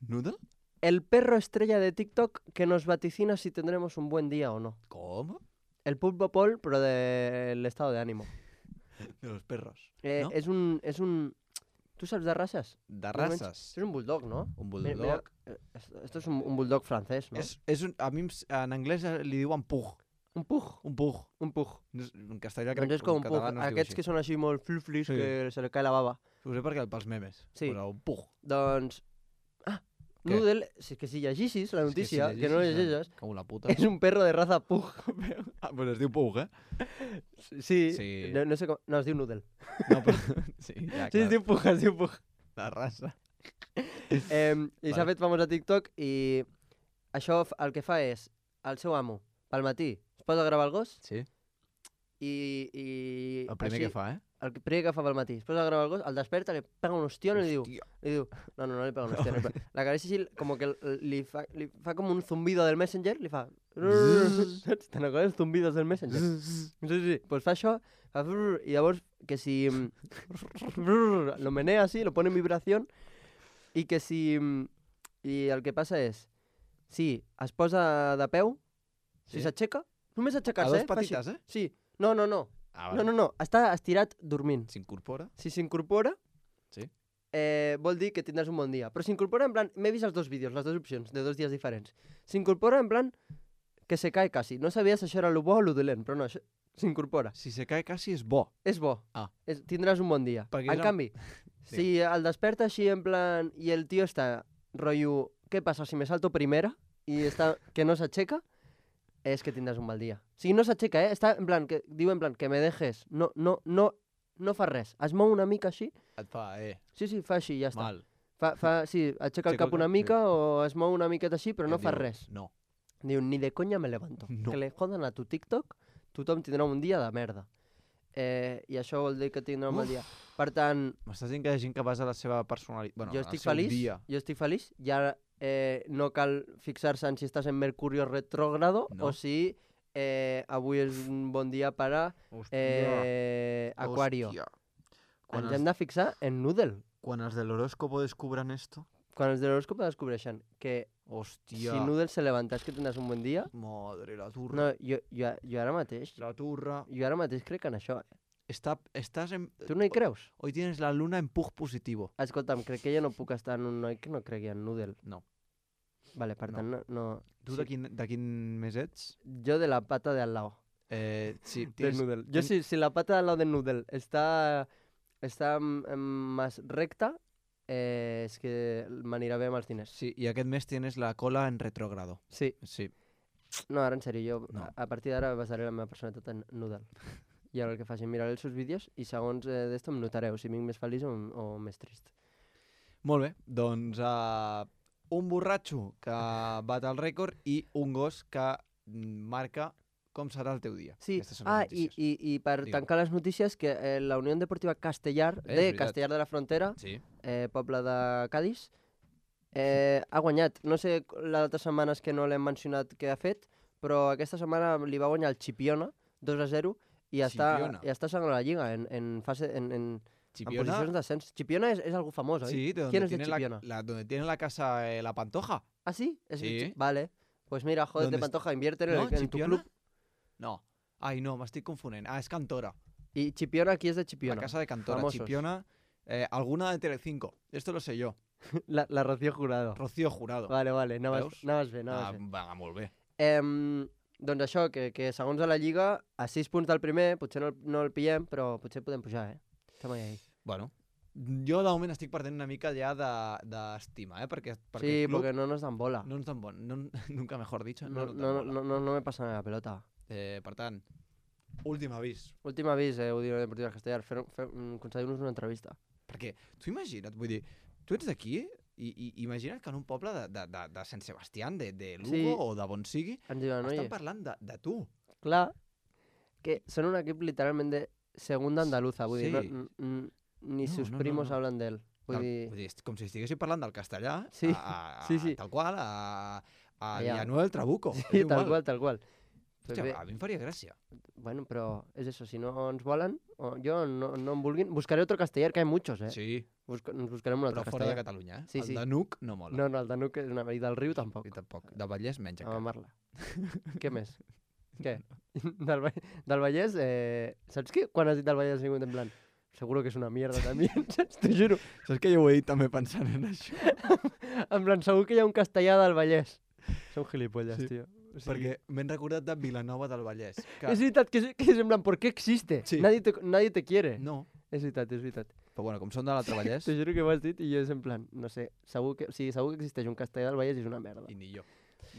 Noodle? El perro estrella de TikTok que nos vaticina si tendremos un buen día o no. Com? El Pulpo Paul, però del estado de ánimo. De los perros. ¿No? És un... ¿Tú sabes de razas? De races. Es un bulldog, ¿no? Un Mira, bulldog. esto es un bulldog francés, ¿no? A mi en anglès li diuen pug. Un pug. Un pug. Un pug. En castellà crec Doncs és que com en un pug. català no es diu Aquests així. que són així molt fluflis, Sí. que se li cae la baba. Ho sé perquè pels memes. Sí. Però un pug. Doncs... Què? Noodle, que si llegissis la notícia, que no llegeixes, Com una puta. és un perro de raza pug. Pues es diu pug, eh? Sí, Sí. No sé com... No, es diu Noodle. No, però... Sí, ja, Sí, clar. es diu pug, es diu pug. La raça. I s'ha fet famós a TikTok i això el que fa és, el seu amo, pel matí, es posa a gravar el gos Sí. i El primer així, que fa, eh? el primer que fa pel matí, es posa a gravar el gos, el desperta, li pega un ostión i li diu, Hòstia. no li pega un ostión, la acaricia així, com que li fa com un zumbido del Messenger, li fa... Saps? Te'n recordes els zumbidos del Messenger? Sí, pues fa això, fa i llavors que si lo menea así, lo pone en vibración i que si... I el que passa és, si es posa de peu, si Sí. s'aixeca, només A aixecar-se, dos fa així. patites, eh? Sí, no, Ah, no, està estirat dormint. S'incorpora. Si s'incorpora, Sí. vol dir que tindràs un bon dia. Però s'incorpora en plan, m'he vist els dos vídeos, les dues opcions, de 2 dies diferents. S'incorpora en plan que se cae quasi. No sabia si això era lo bo o lo dolent, però no, això s'incorpora. Si se cae quasi és bo. És bo. Ah. Tindràs un bon dia. Perquè En és canvi, Sí. si el desperta així en plan i el tio està rotllo, què passa si me salto primera i està que no s'aixeca, és que tindràs un mal dia. O sigui, no s'aixeca, està en plan, diu en plan, que me dejes, no fa res. Es mou una mica així, Et fa, sí, fa així, ja està. mal. Sí, aixeca el Aixeca cap el una cap, mica o es mou una miqueta així, però no I fa diu, res. No. Diu, ni de conya me levanto. No. Que le jodan a tu TikTok, tothom tindrà un dia de merda. I això vol dir que tindrà un mal dia. Per tant, M'estàs dient que hi ha gent que basa la seva personalitat... Bueno, jo el estic seu feliç, dia. ja no cal fixar-se en si estàs en Mercurio retrógrado No. o si avui és un bon dia per a Aquario. Hòstia. Ens hem de fixar en Noodle. Quan els de l'horóscopo descubran esto... Quan els de l'horòscop descobreixen que Hòstia. si Noodle se levanta és que tindràs un bon dia, Madre, la turra. no, jo ara mateix, La turra. jo ara mateix crec en això. Estás en... Tu no hi creus? Hoy tienes la luna en pug positivo. Escolta'm, crec que jo no puc estar en un noi que no cregui en Noodle. No. Vale, per No. tant, no... Tu sí. de quin mes ets? Jo de la pata de al lado. Sí, Del tienes... Noodle. Yo si la pata de al lado del Noodle está más recta, és que m'anirà bé amb els diners. Sí, i aquest mes tienes la cola en retrógrado. Sí. Sí. No, ara en sèrio, jo No. a partir d'ara basaré la meva personalitat en Noodle. I ara el que faci, miraré els seus vídeos i segons d'esto em notareu si vinc més feliç o més trist. Molt bé, doncs un borratxo que bat el rècord i un gos que marca com serà el teu dia. Sí, Aquestes són les notícies. i per Digue'm. tancar les notícies, que la Unió Deportiva Castellar, És veritat. Castellar de la Frontera, Sí. poble de Cádiz, Ha guanyat. No sé les altres setmanes que no l'hem mencionat què ha fet, però aquesta setmana li va guanyar el Chipiona 2-0 i Chipiona. està segona a la Lliga en Chipiona, posicions d'ascens. Chipiona és algú famós, oi? sí, de ¿Quién donde es de tiene Chipiona? donde tiene la casa la Pantoja. ¿Ah, sí? Sí. Vale. Pues mira, jódete, ¿Dónde Pantoja, invierte en, No, en tu Chipiona? club. No. Ai, no, m'estic confonent. Ah, és Cantora. Y Chipiona, qui és de Chipiona? La casa de Cantora. Famosos. Chipiona, alguna de Telecinco. Esto lo sé yo. La Rocío Jurado. Rocío Jurado. Vale, anaves Veus? bé. Va, molt bé. Doncs això, que segons a la Lliga, a 6 punts del primer, potser no el pillem, però potser podem pujar, Estem ahí. Bueno, jo de moment estic perdent una mica ja d'estima, perquè Sí, el club porque no nos dan bola. no ens dan nunca mejor dicho, No, no ens dan bola. no me pasan la pelota. Per tant, últim avís. Últim avís, Udino Deportiva Castellar, concedir-nos una entrevista. Perquè tu imagina't, vull dir, tu ets d'aquí i imagina't que en un poble de Sant Sebastián, de Lugo Sí. o de on sigui, Ens diuen, estan oye, parlant de tu. clar, que són un equip literalment de segunda andaluza, vull dir, Sí. ni No, sus no, primos no. hablan d'ell. Vull dir, És com si estiguéssim parlant del castellà, Sí, sí. tal qual, a Allà. Villanueva del Trabuco. sí, és igual. tal qual. Pues Hòstia, bé, a mi em faria gràcia. bueno, però és eso, si no ens volen, o jo no em vulguin, buscaré otro castellar, que hay muchos, Sí, Nos buscarem un altre però fora de castellar. Catalunya, Sí, el sí. de Nuc no mola. No, el de Nuc és una... I del Riu tampoc. I tampoc. De Vallès menys A encara. mamar-la. Què més? Què? Del Vallès, saps què? Quan has dit del Vallès ha sigut en plan, seguro que és una mierda també, saps? T'ho juro. Saps que jo ho he dit també pensant en això? En plan, segur que hi ha un castellà del Vallès. Són gilipolles, Sí. tio. O sigui, Perquè m'he recordat de Vilanova del Vallès. Que... És veritat que és en plan, ¿por qué existe? Sí. Nadie te quiere. No, És veritat. però bueno, com són de l'altre Vallès, Te juro que ho has dit i jo és en plan, no sé, segur que existeix un castellà del Vallès i és una merda. i ni jo.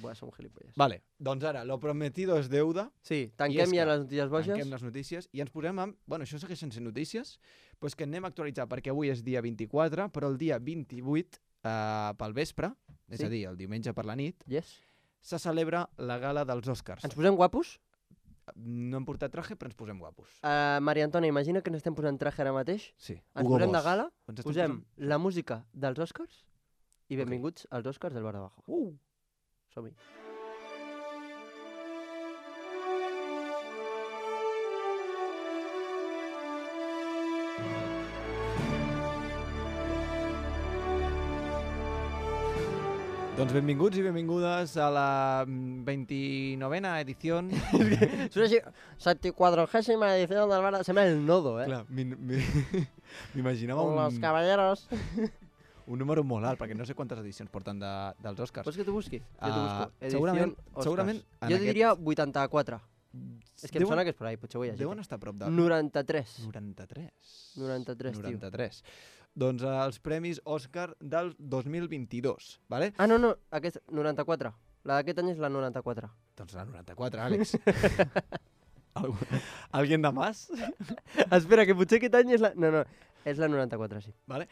Buah, som gilipolles. Vale, doncs ara, lo prometido es deuda. Sí, I és tanquem ja que les notícies boges. Tanquem les notícies i ens posem amb... Bueno, això segueix sense notícies, doncs que anem a actualitzar perquè avui és dia 24, però el dia 28, pel vespre, és Sí. a dir, el diumenge per la nit, Yes. se celebra la gala dels Oscars. Ens posem guapos? No hem portat traje, però ens posem guapos. Maria Antònia, imagina que ens estem posant traje ara mateix. Sí. Ens Hugo posem de Boss. gala, Ens estem posem posant- la música dels Oscars i benvinguts als Oscars del Bar de Bajo. Som-hi. Doncs benvinguts i benvingudes a la 29a edició. Sona així, 74ª edició del Bar de... Sembla el nodo, Clar, m'imaginava Los caballeros. un número molt alt, perquè no sé quantes edicions porten dels Oscars. Vols que t'ho busqui? Jo t'ho busco. segurament- Edición Oscars. segurament en Jo aquest- diria 84. És que em sona que és per ahí, potser ho he llegit. Deuen estar a prop de... 93. 93. 93, tio. 93. Doncs els Premis Òscar del 2022, vale? Ah, no, aquest 94. La d'aquest any és la 94. Doncs la 94, Àlex. Alguien de más? Espera, que potser aquest any és la... No, és la 94, sí. Vale?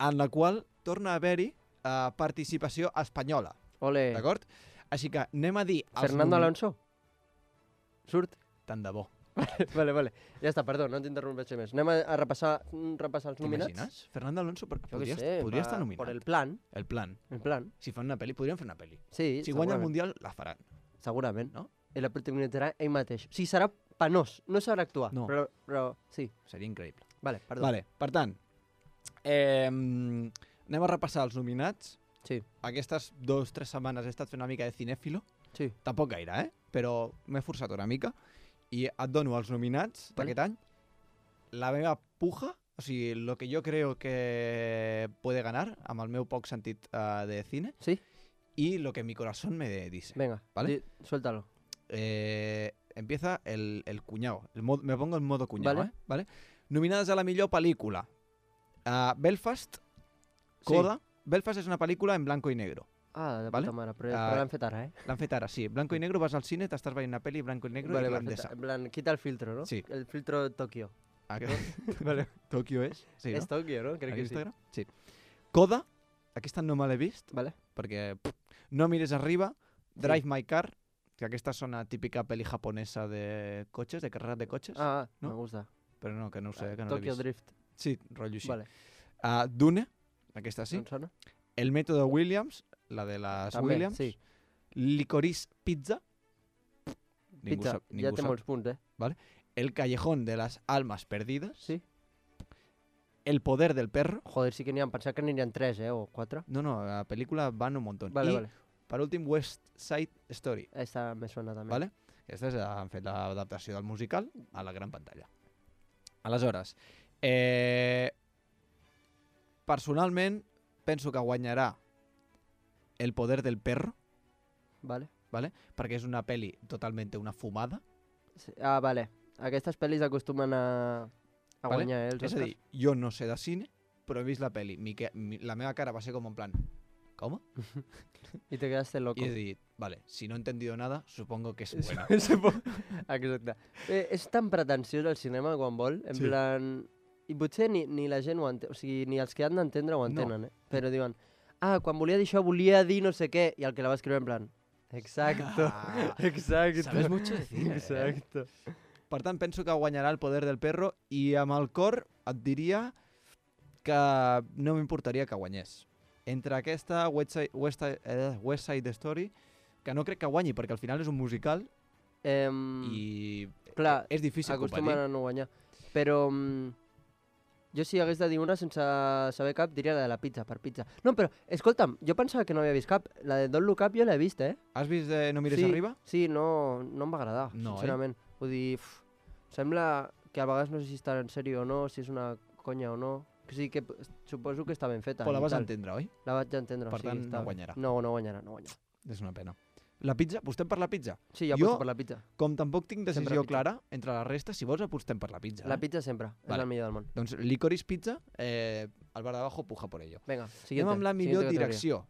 En la qual torna a haver-hi participació espanyola, Ole. d'acord? Així que anem a dir... els Fernando Alonso? Surt? Tant de bo. Vale. Ja està, perdó, no t'interrompeixo més. Anem a repassar els nominats. T'imagines? Fernando Alonso Jo què podria, sé, podria estar nominat. Por el plan. El plan. El plan. Si fan una pel·li, podrien fer una pel·li. Sí, Si guanya el segurament. Mundial, la faran. Segurament. No? I la protagonitzarà ell mateix. O sigui, serà penós. No sabrà actuar. No. Però sí. Seria increïble. Vale, perdó. Vale, per tant, anem a repassar els nominats. Sí. Aquestes 2 o 3 setmanes he estat fent una mica de cinèfilo. Sí. Tampoc gaire, però m'he forçat una mica. I et dono els nominats Vale. d'aquest any. La meva puja, o sigui, lo que yo creo que puede ganar, amb el meu poc sentit de cine, Sí? y lo que mi corazón me dice. Venga, Vale. Suéltalo. Empieza el cuñado. Me pongo en modo cuñado, Vale. ¿vale? Nominades a la millor pel·lícula. Belfast, Coda. Belfast és una pel·lícula en blanco i negro. Ah, de Vale. puta mare, però l'han fet ara, L'han fet ara, sí. Blanco i negro, vas al cine, t'estàs veient una pel·li blanco i negro Vale, irlandesa. perfecte. En plan, quita el filtro, ¿no? Sí. El filtro Tokio. Vale. Tòquio és? Sí, És Tokio, no? Crec a que sí. Instagram? Sí. Coda, aquesta no me l'he vist, Vale. perquè no mires arriba. Drive My Car, que aquesta és una típica pel·li japonesa de cotxes, de carreras de cotxes, Ah, ¿no? me gusta. però no, que no ho sé, que no l'he Tokyo vist. Drift. Sí, rotllo així. Vale. Dune, aquesta sí. No em sona? El método Williams, la de les També, Williams. sí. Licorice Pizza. Pizza, ja té molts punts, El callejón de las almas perdidas. Sí. El poder del perro. Joder, sí que n'hi ha, pensava que n'hi ha 3, o 4. No, la película van un montón. Vale, I, vale. per últim, West Side Story. Esta me suena també. Vale? Aquestes han fet l'adaptació del musical a la gran pantalla. Aleshores, personalment penso que guanyarà El poder del perro, Vale. perquè és una pel·li totalment una fumada. Sí. Ah, vale. Aquestes pel·lis acostumen a Vale? guanyar, els És a Oscars. dir, jo no sé de cine, però he vist la pel·li. La meva cara va ser com en plan, ¿cómo? I te quedaste loco. Y he dit, vale, si no he entendido nada, supongo que es buena. Exacte. És tan pretensiós el cinema quan vol, en Sí. plan... I potser ni la gent ho entén, o sigui, ni els que han d'entendre ho entenen, Però diuen, quan volia dir això, volia dir no sé què, i el que la va escriure en plan, exacto, Ah, exacto. sabes mucho de cine, Exacto. Per tant, penso que guanyarà El poder del perro i amb el cor et diria que no m'importaria que guanyés. Entre aquesta West Side Story, que no crec que guanyi perquè al final és un musical i Clar, és difícil acostumen competir. a no guanyar. Però jo si hagués de dir una sense saber cap, diria la de la pizza, per pizza. No, però, escolta'm, jo pensava que no havia vist cap. La de Don't Look Up jo l'he vist, Has vist No mires sí, arriba? Sí, no em va agradar, No, sincerament. Vull dir, sembla que a vegades no sé si està en sèrio o no, si és una conya o no. O sigui que suposo que està ben feta. Però la i vas tal. entendre, oi? La vaig entendre, Per sí. tant, està... no guanyarà. No guanyarà. És una pena. La pizza? Apostem per la pizza? Sí, jo Jo- aposto per la pizza. Com tampoc tinc Sempre decisió pizza. clara entre la resta, si vols apostem per la pizza. La pizza sempre, és Vale. el millor del món. Doncs Licorice Pizza, el bar d'abajo puja por ello. Vinga, Anem siguiente. amb la millor siguiente categoria. direcció,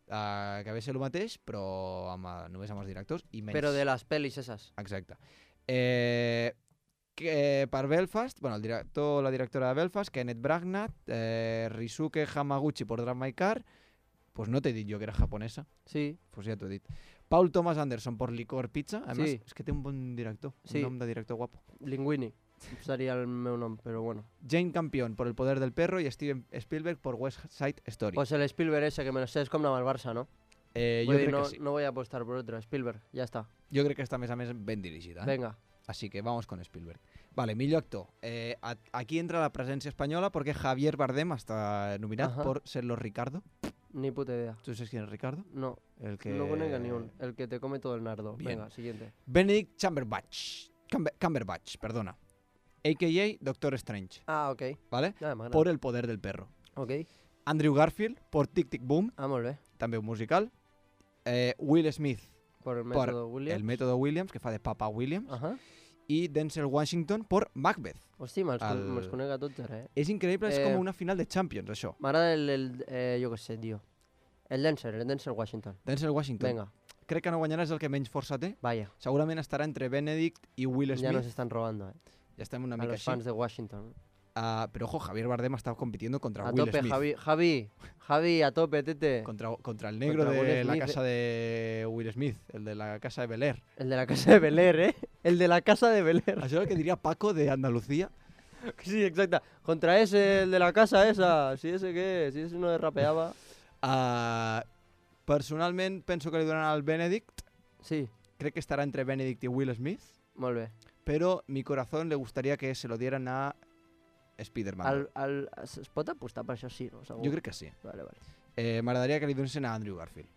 que ve a ser el mateix, però només amb els directors i menys. Però de les pel·lis esas. Exacte. Que per Belfast, bueno, la directora de Belfast, Kenneth Branagh, Risuke Hamaguchi por Drive My Car, pues no t'he dit jo que era japonesa, Sí, pues ja t'ho he dit. Paul Thomas Anderson por Licor Pizza, además Sí. és que té un bon director, Sí. un nom de director guapo. Linguini seria el meu nom, però bueno. Jane Campion por El poder del perro y Steven Spielberg por West Side Story. Pues el Spielberg ese, que me lo sé, es com anar al Barça, no? Jo Vull dir, crec no, que sí. no voy a apostar por otro, Spielberg, ya está. Jo crec que està més a més ben dirigida. Venga. Así que vamos con Spielberg. Vale, millor actor. Aquí entra la presencia española porque Javier Bardem está nominado Ajá. por Serlo Ricardo. Ni puta idea. ¿Tú sabes quién es Ricardo? No, El que... no conozco ni un. El que te come todo el nardo. Bien. Venga, siguiente. Benedict Cumberbatch, perdona. A.K.A. Doctor Strange, Ah, ok. ¿vale? Nada, m'agrada. Por El poder del perro. Ok. Andrew Garfield por Tic Tic Boom, Ah, molt bé. també un musical. Will Smith Por el por método Williams. El método Williams, que fa de Papa Williams. Ajá. I Denzel Washington por Macbeth. Hosti, me'ls El- me'ls conec a tots ara, És increïble, és Eh, com una final de Champions, això. M'agrada jo què sé, tio. El Denzel Washington. Denzel Washington. Venga, Crec que no guanyarà, és el que menys força té. vaya. Segurament estarà entre Benedict i Will Ya Smith. nos están robando, Ja estem una A mica los així. fans de Washington. Pero ojo, Javier Bardem está compitiendo contra A Will tope, Smith. Javi, a tope, tete. Contra el negro Contra Will de la Smith. casa de Will Smith, el de la casa de Bel Air. El de la casa de Bel Air, El de la casa de Bel Air. Això és el que diria Paco de Andalucía. Sí, exacte. Contra ese, el de la casa esa. Si ese qué, si ese no rapeaba. Personalment penso que li donaran al Benedict. Sí, Crec que estarà entre Benedict i Will Smith. molt bé. Pero mi corazón le gustaría que se lo dieran a Spider-Man. Es pot apostar per això, sí, no? Segur. Jo crec que sí. Vale, vale. M'agradaria que li donessin a Andrew Garfield.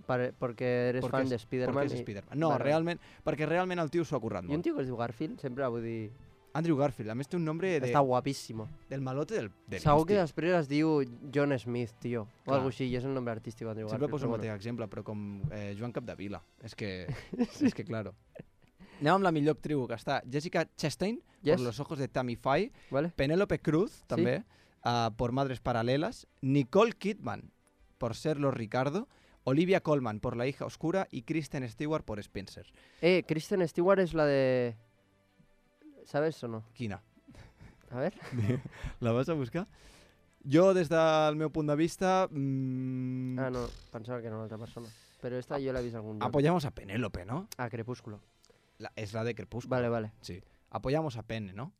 Perquè eres Perquè fan és- de Spider-Man. Perquè és Spider-Man. No, Vale, vale. realment, perquè realment el tio s'ho ha currat I un molt. tio que es diu Garfield, sempre vull dir... Andrew Garfield, a més té un nombre Està guapíssimo. del malote del Segur que Insti. després es diu John Smith, tio. O Clar. alguna així, i és el nombre artístic d'Andrew Sempre Garfield. poso el però mateix exemple, però com Joan Capdevila. És que, és que claro. Anem amb la millor actriu, que està Jessica Chastain, Yes. por Los ojos de Tammy Faye, Vale? Penélope Cruz, també, por Madres Paralelas, Nicole Kidman, por Serlo Ricardo, Olivia Colman, por La hija oscura, y Kristen Stewart, por Spencer. Kristen Stewart és la de... ¿Sabes o no? Quina? A ver. La vas a buscar? Jo, des del meu punt de vista, Ah, no, pensava que era una altra persona. Però esta jo l'he vist algun lloc. apoyamos a Penélope, ¿no? Ah, Crepúsculo. Es la de Crepúsculo. Vale, vale. Sí. Apoyamos a Pene, ¿no?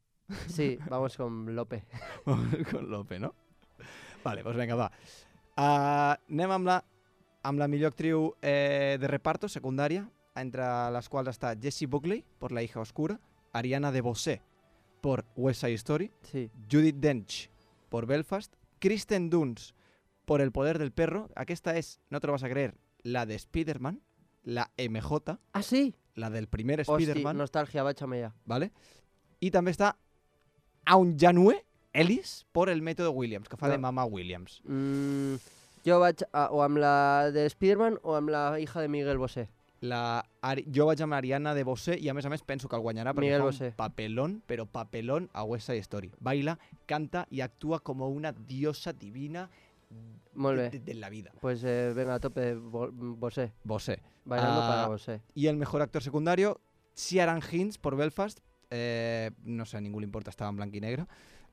Sí, vamos con Lope. Con Lope, ¿no? Vale, pues venga, va. Anem amb la millor actriu de reparto, secundària, entre les quals està Jessie Buckley, por La hija oscura, Ariana DeBose, por West Side Story, Sí. Judi Dench, por Belfast, Kristen Dunst, por El poder del perro. Aquesta és, no te lo vas a creer, la de Spider-Man, la MJ, Ah, sí? la del primer Hosti, Spider-Man, nostàlgia, vaig amb ella. ¿vale? I també està Aunjanue Ellis por El método Williams, que fa de No. Mama Williams. Jo vaig o amb la de Spider-Man o amb la hija de Miguel Bosé. Jo vaig amb Ariana DeBose i a més penso que el guanyarà perquè Miguel fa Bosé. un papelón, però papelón a West Side Story. Baila, canta y actúa como una diosa divina Molt bé. de la vida. Pues venga, a tope, Bosé. Bosé. Bailando Ah, para Bosé. Y el mejor actor secundario, Ciaran Hinds por Belfast. No sé, a ningún le importa, estaba en blanco y negro.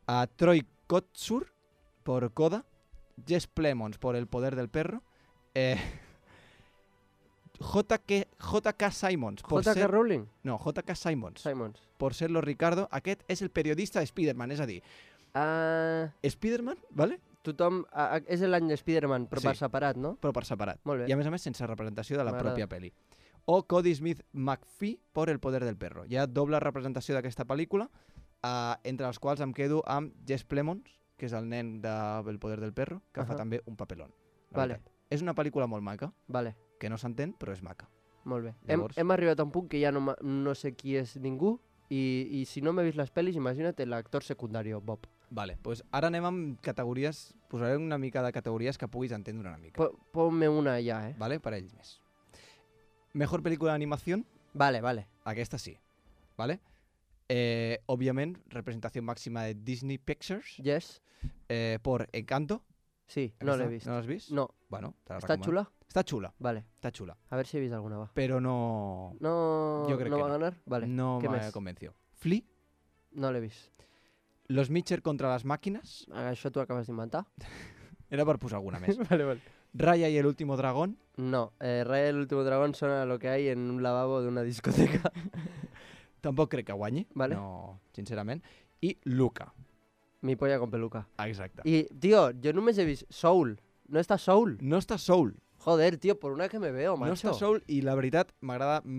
A Troy Kotsur por Coda. Jess Plemons por El poder del perro. JK Simons por J.K. ser... Rowling? No, JK Simons Simons. por ser los Ricardo. Aquest és el periodista de Spider-Man, és a dir, Spider-Man, ¿vale? Tothom... és l'any de Spider-Man, però Sí. per separat, no? Però per separat. Molt bé. I a més sense representació de la M'agrada. pròpia pel·li. O Cody Smith McPhee por El poder del perro. Hi ha doble representació d'aquesta pel·lícula, entre els quals em quedo amb Jess Plemons, que és el nen de El poder del perro, que fa Ahà. també un papelón. la Vale. veritat. És una pel·lícula molt maca, Vale, que no s'entén, però és maca. molt bé. Llavors- Hem arribat a un punt que ja no sé qui és ningú i si no m'he vist les pel·lis, imagina't l'actor secundari, Bob. Vale, pues ara anem amb categories, posaré una mica de categories que puguis entendre una mica. Ponme una ja, Vale, per ells més. Mejor pel·lícula d'animació, Vale. aquesta sí. Vale? Òbviament, representació màxima de Disney Pictures Yes? por Encanto. Sí, no l'he Aquesta, vist. No l'has vist? No. Bueno, te la Està recomano. xula? Està xula, Vale. està xula. A ver si he vist alguna, va. Però no... No, Jo crec no que va no. ganar? Vale. no què m'ha més? convenció. Flea, No l'he vist. Los Mitchell contra les màquines, Això t'ho acabes d'inventar? era per posar alguna més. Vale. Raya y el último dragón, No, Raya el último dragón suena a lo que hay en un lavabo de una discoteca. tampoc crec que guanyi, Vale. no, sincerament. I Luca, Mi polla con peluca. exacte. Y, tío, yo només he vist Soul. No està Soul. No està Soul, Joder, tío, por una que me veo, no macho. està Soul i la veritat em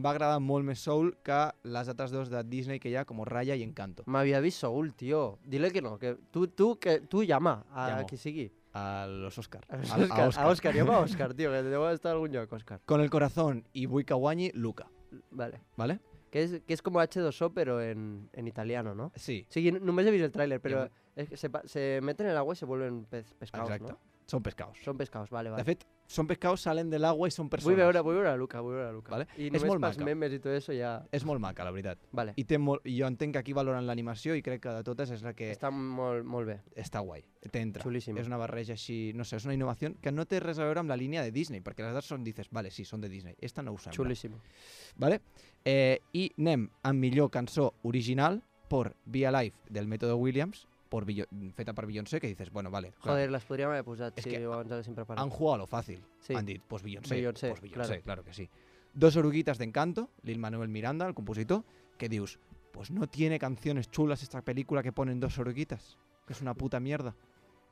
va agradar molt més Soul que les altres dos de Disney que hi ha, com Raya i Encanto. M'havia vist Soul, tío. Dile que no, que tú llama a Llamo. qui sigui. A los Oscar. A A Òscar, llama a Òscar, tío, que deu estar a algun lloc, Òscar. Con el corazón y vull que guanyi Luca, Vale. ¿vale? Que es como H2O, pero en italiano, ¿no? Sí, Sí, només he vist el tráiler, pero Ja. es que se meten en el agua y se vuelven pescados, exacte. ¿no? Són pescados. Son pescados, vale, vale. De fet, són pescados, salen del agua i són Vull persones. veure a Luca, vull veure a Luca. Vale. I És només molt pels maca. memes i tot això ja... És molt maca, la veritat. Vale, I jo entenc que aquí valoren l'animació i crec que de totes és la que està molt bé. està guai. T'entra. Xulíssim. És una barreja així, no sé, és una innovació que no té res a veure amb la línia de Disney, perquè les altres són, dices, vale, sí, són de Disney. Esta no ho sembla. Xulíssim. Vale? I anem amb millor cançó original por Be Alive del Método Williams, feta per Beyoncé, que dices, bueno, vale. clar, Joder, les podríem haver posat És si que abans haguéssim preparat. han jugado a lo fácil. Sí. Han dit, pues Beyoncé. Beyoncé, Pues Beyoncé, claro. claro que sí. Dos oruguitas de Encanto, Lin-Manuel Miranda, el compositor, que dius, pues no tiene canciones chulas esta película que ponen dos oruguitas, que es una puta mierda.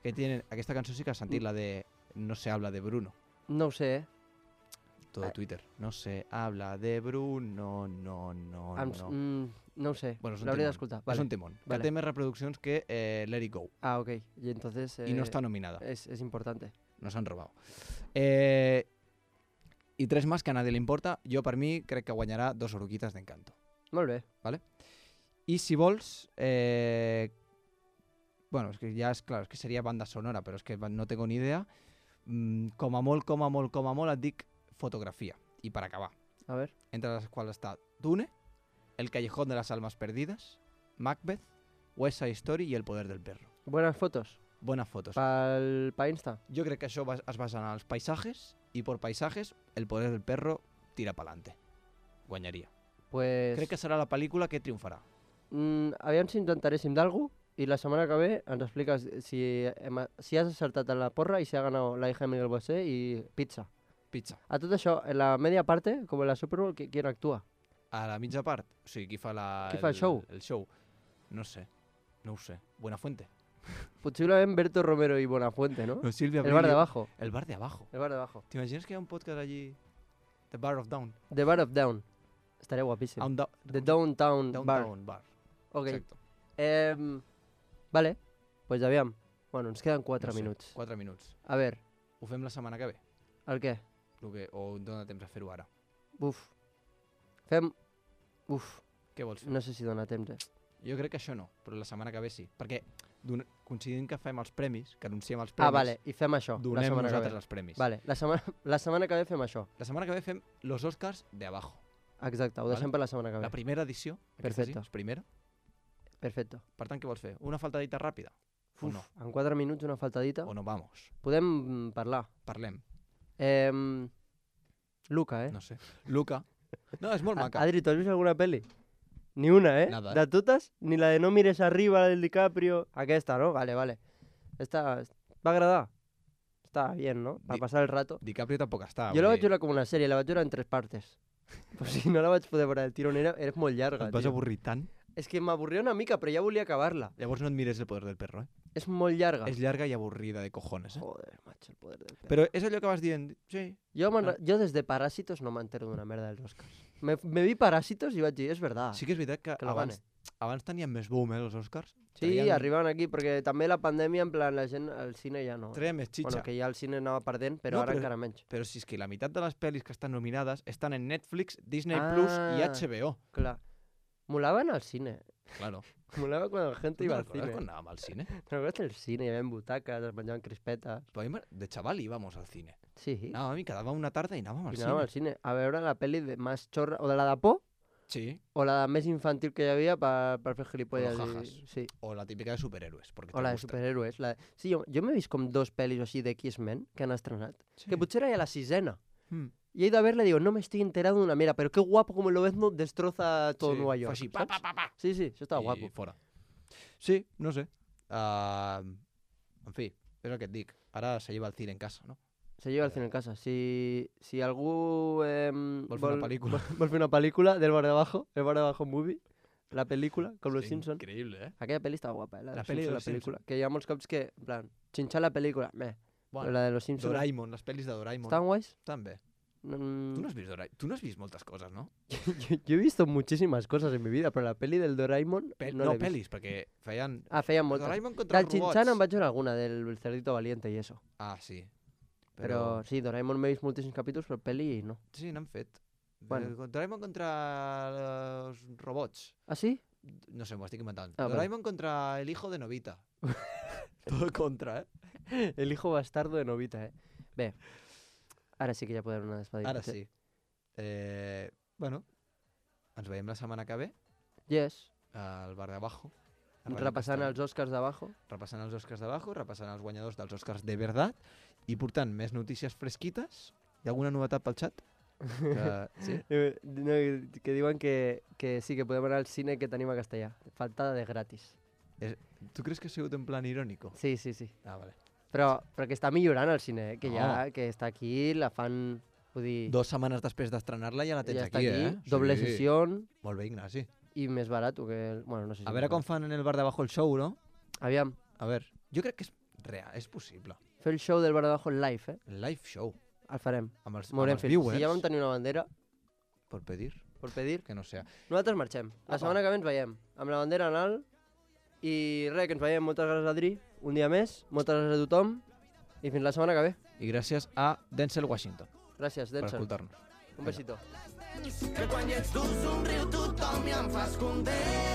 Que tienen, aquesta cançó sí que has sentit, la de No se habla de Bruno, No ho sé, todo Twitter. No se habla de Bruno, no. no ho sé, Bueno, és un l'hauria temón. d'escoltar. És Vale. un temón. Vale. Que té més reproduccions que Let It Go. Ah, ok. Y entonces... Y no está nominada. Es importante. Nos han robado. I tres más que a nadie le importa. Jo, per mi, crec que guanyarà dos oruguitas d'Encanto. Molt bé. I si vols... bueno, és que ja és clar, és que seria banda sonora, però és que no tengo ni idea. Com a molt et dic fotografia. I per acabar, A ver. entre les quals està Dune, El callejón de las almas perdidas, Macbeth, West Side Story i El poder del perro. Buenas fotos. Bones fotos. Pa Insta. Jo crec que això es basa en els paisatges i per paisatges El poder del perro tira pa'lante. Guanyaria. Pues... Crec que serà la pel·lícula que triomfarà. Aviam si intentaréssim d'algú i la setmana que ve ens expliques si has acertat en la porra i si ha ganado la hija de Miguel Bosé i pizza. Pizza. A tot això, en la media parte, com en la Super Bowl, ¿quién actúa? A la mitja part? O sigui, qui fa Qui fa el show? El show. No sé. No ho sé. Buenafuente. Possiblement Berto Romero i Buenafuente, no? No, Silvia El bar de Abril. abajo. El bar de abajo. El bar de abajo. ¿T'imagines que hi ha un podcast allí? The Bar of Down. The Bar of Down. Estaria guapíssim. The Downtown Bar. Downtown Bar. Ok. Exacte. Vale, pues aviam. Bueno, ens queden 4 No sé, minuts. 4 minuts. A veure, Ho fem la setmana que ve? el què? O dona temps a fer-ho ara? Fem... Uf, Què vols fer? no sé si dona temps, Jo crec que això no, però la setmana que ve sí. Perquè coincidint que fem els premis, que anunciem els premis, vale, i fem això, la donem setmana que nosaltres ve. els premis. Vale, la setmana que ve fem això. La setmana que ve fem los Oscars de abajo. Exacte, ho deixem Vale. per la setmana que ve. La primera edició, aquesta Perfecte. sí, és primera. Perfecte. Per tant, què vols fer? Una faltadita ràpida? O no? En 4 minuts una faltadita. O no, vamos. Podem parlar. Parlem. Luca, No sé. Luca. No, és molt maca. Adri, ¿tú has visto alguna peli? Ni una, Nada, ¿De totes? Ni la de No mires arriba, la del DiCaprio. Aquesta, ¿no? Vale. Esta va agradar. Está bien, ¿no? Para pasar el rato. DiCaprio tampoc està. Jo la vaig veure com una sèrie, la vaig veure en 3 partes. Pues si no la vaig poder veure del tirón, era molt llarga, Et vas tio. avorrir tant. És que m'avorria una mica, però ja volia acabar-la. Llavors no et mires El poder del perro, És molt llarga. És llarga i avorrida de cojones, Joder, macho, el poder del perro. Però és allò que vas dient, sí. Jo des de Parásitos no m'entero d'una merda dels Oscars. Me vi Parásitos i vaig dir, és verdad. Sí que és veritat que lo gane. abans tenien més boom, els Oscars. Sí, arribaven aquí, perquè també la pandèmia, en plan, la gent al cine ja no. Treia més xitxa. Bueno, que ja el cine anava perdent, però No, ara però- encara menys. Però si és que la meitat de les pel·lis que estan nominades estan en Netflix, Disney Plus i HBO. Clar. Molaven al cine. Claro. Molava quan la gent Tu iba te'n al recordes cine. quan anàvem al cine? ¿Te acuerdas del cine? Hi havia butaques, es menjaven crispetes. Però a mi de chaval íbamos al cine. Sí. Anàvem i quedava una tarda i anàvem al I anàvem cine. al cine a veure la pel·li de més xorra, o de la de por, Sí. o la de més infantil que hi havia per fer gilipolles. O los jajas. Sí. O la típica de superhéroes. Porque O te la de gusta. superhéroes. Sí, jo m'he vist com 2 pel·lis o així de X-Men que han estrenat. Sí. Que potser era ja la 6ena. Mm. Y he ido a verla y digo, no me estoy enterado de una mierda, pero qué guapo como lo ves, no destroza todo Sí, Nueva fa York. així, ¿sabes? pa. Sí, això estava I guapo. fora. Sí, no sé. En fi, és el que et dic. Ara se lleva el cine en casa, no? Se lleva el cine en casa. Si algú Vol fer una pel·lícula. vol fer una pel·lícula del bar de abajo, el bar de abajo movie, la pel·lícula, com los Simpsons. Increïble, eh? Aquella pel·li estava guapa, La peli de la los pel·lícula. Que hi ha molts cops que, en plan, xinxar la pel·lícula, però Bueno, la de los Simpsons... Doraemon, les pel·lis de Doraemon. ¿Estaban guays? També. Tu Mm, no has vist Doraemon? Tu no has vist moltes coses, no? yo he visto muchísimas cosas en mi vida, però la pel·li del Doraemon no l'he vist. Pel·lis, perquè feien... Feien moltes. Doraemon contra Del els robots. Chin-chan em vaig veure alguna, del Cerdito Valiente i eso. Ah, sí. Però sí, Doraemon m'he vist moltíssims capítols, però pel·li no. Sí, n'han fet. Bueno. Doraemon contra els robots. Ah, sí? No sé, m'ho estic inventant. Ah, vale. Doraemon contra el hijo de Novita. Todo contra, eh? El hijo bastardo de Novita, Bé, ara sí que ja podem anar despedint. Ara sí. Bueno, ens veiem la setmana que ve Yes. al bar de abajo. a Ràdio Repassant Castellà. els Oscars d'abajo. Repassant els Oscars d'abajo, repassant els guanyadors dels Oscars de verdad i portant més notícies fresquites. Hi ha alguna novetat pel xat? Sí? No, que diuen que sí, que podem anar al cine que tenim a Castellà. Faltada de gratis. Tu creus que ha sigut en plan irònico? Sí, sí, sí. Ah, vale. Però que està millorant el cine, que ja que està aquí, la fan... Vull dir, 2 setmanes després d'estrenar-la ja la tens ja està aquí, aquí, doble Sí. sessió Molt bé, Ignasi. i més barat que... Bueno, no sé si... A veure com fan en el bar de abajo el show, no? Aviam, A veure, jo crec que és real, és possible. fer el show del bar de abajo en live, El live show. El farem. Amb els M'haurem fet. viewers. Si ja vam tenir una bandera, Per pedir, per pedir, que no sé. nosaltres marxem. La Apa. setmana que ve ens veiem, amb la bandera en alt. I res, que ens veiem. Moltes gràcies, Adri. Un dia més. Moltes gràcies a tothom. I fins la setmana que ve. I gràcies a Denzel Washington Gràcies, per Denzel. escoltar-nos. Un besito. Que quan hi ets tu somriu tothom i em fas content.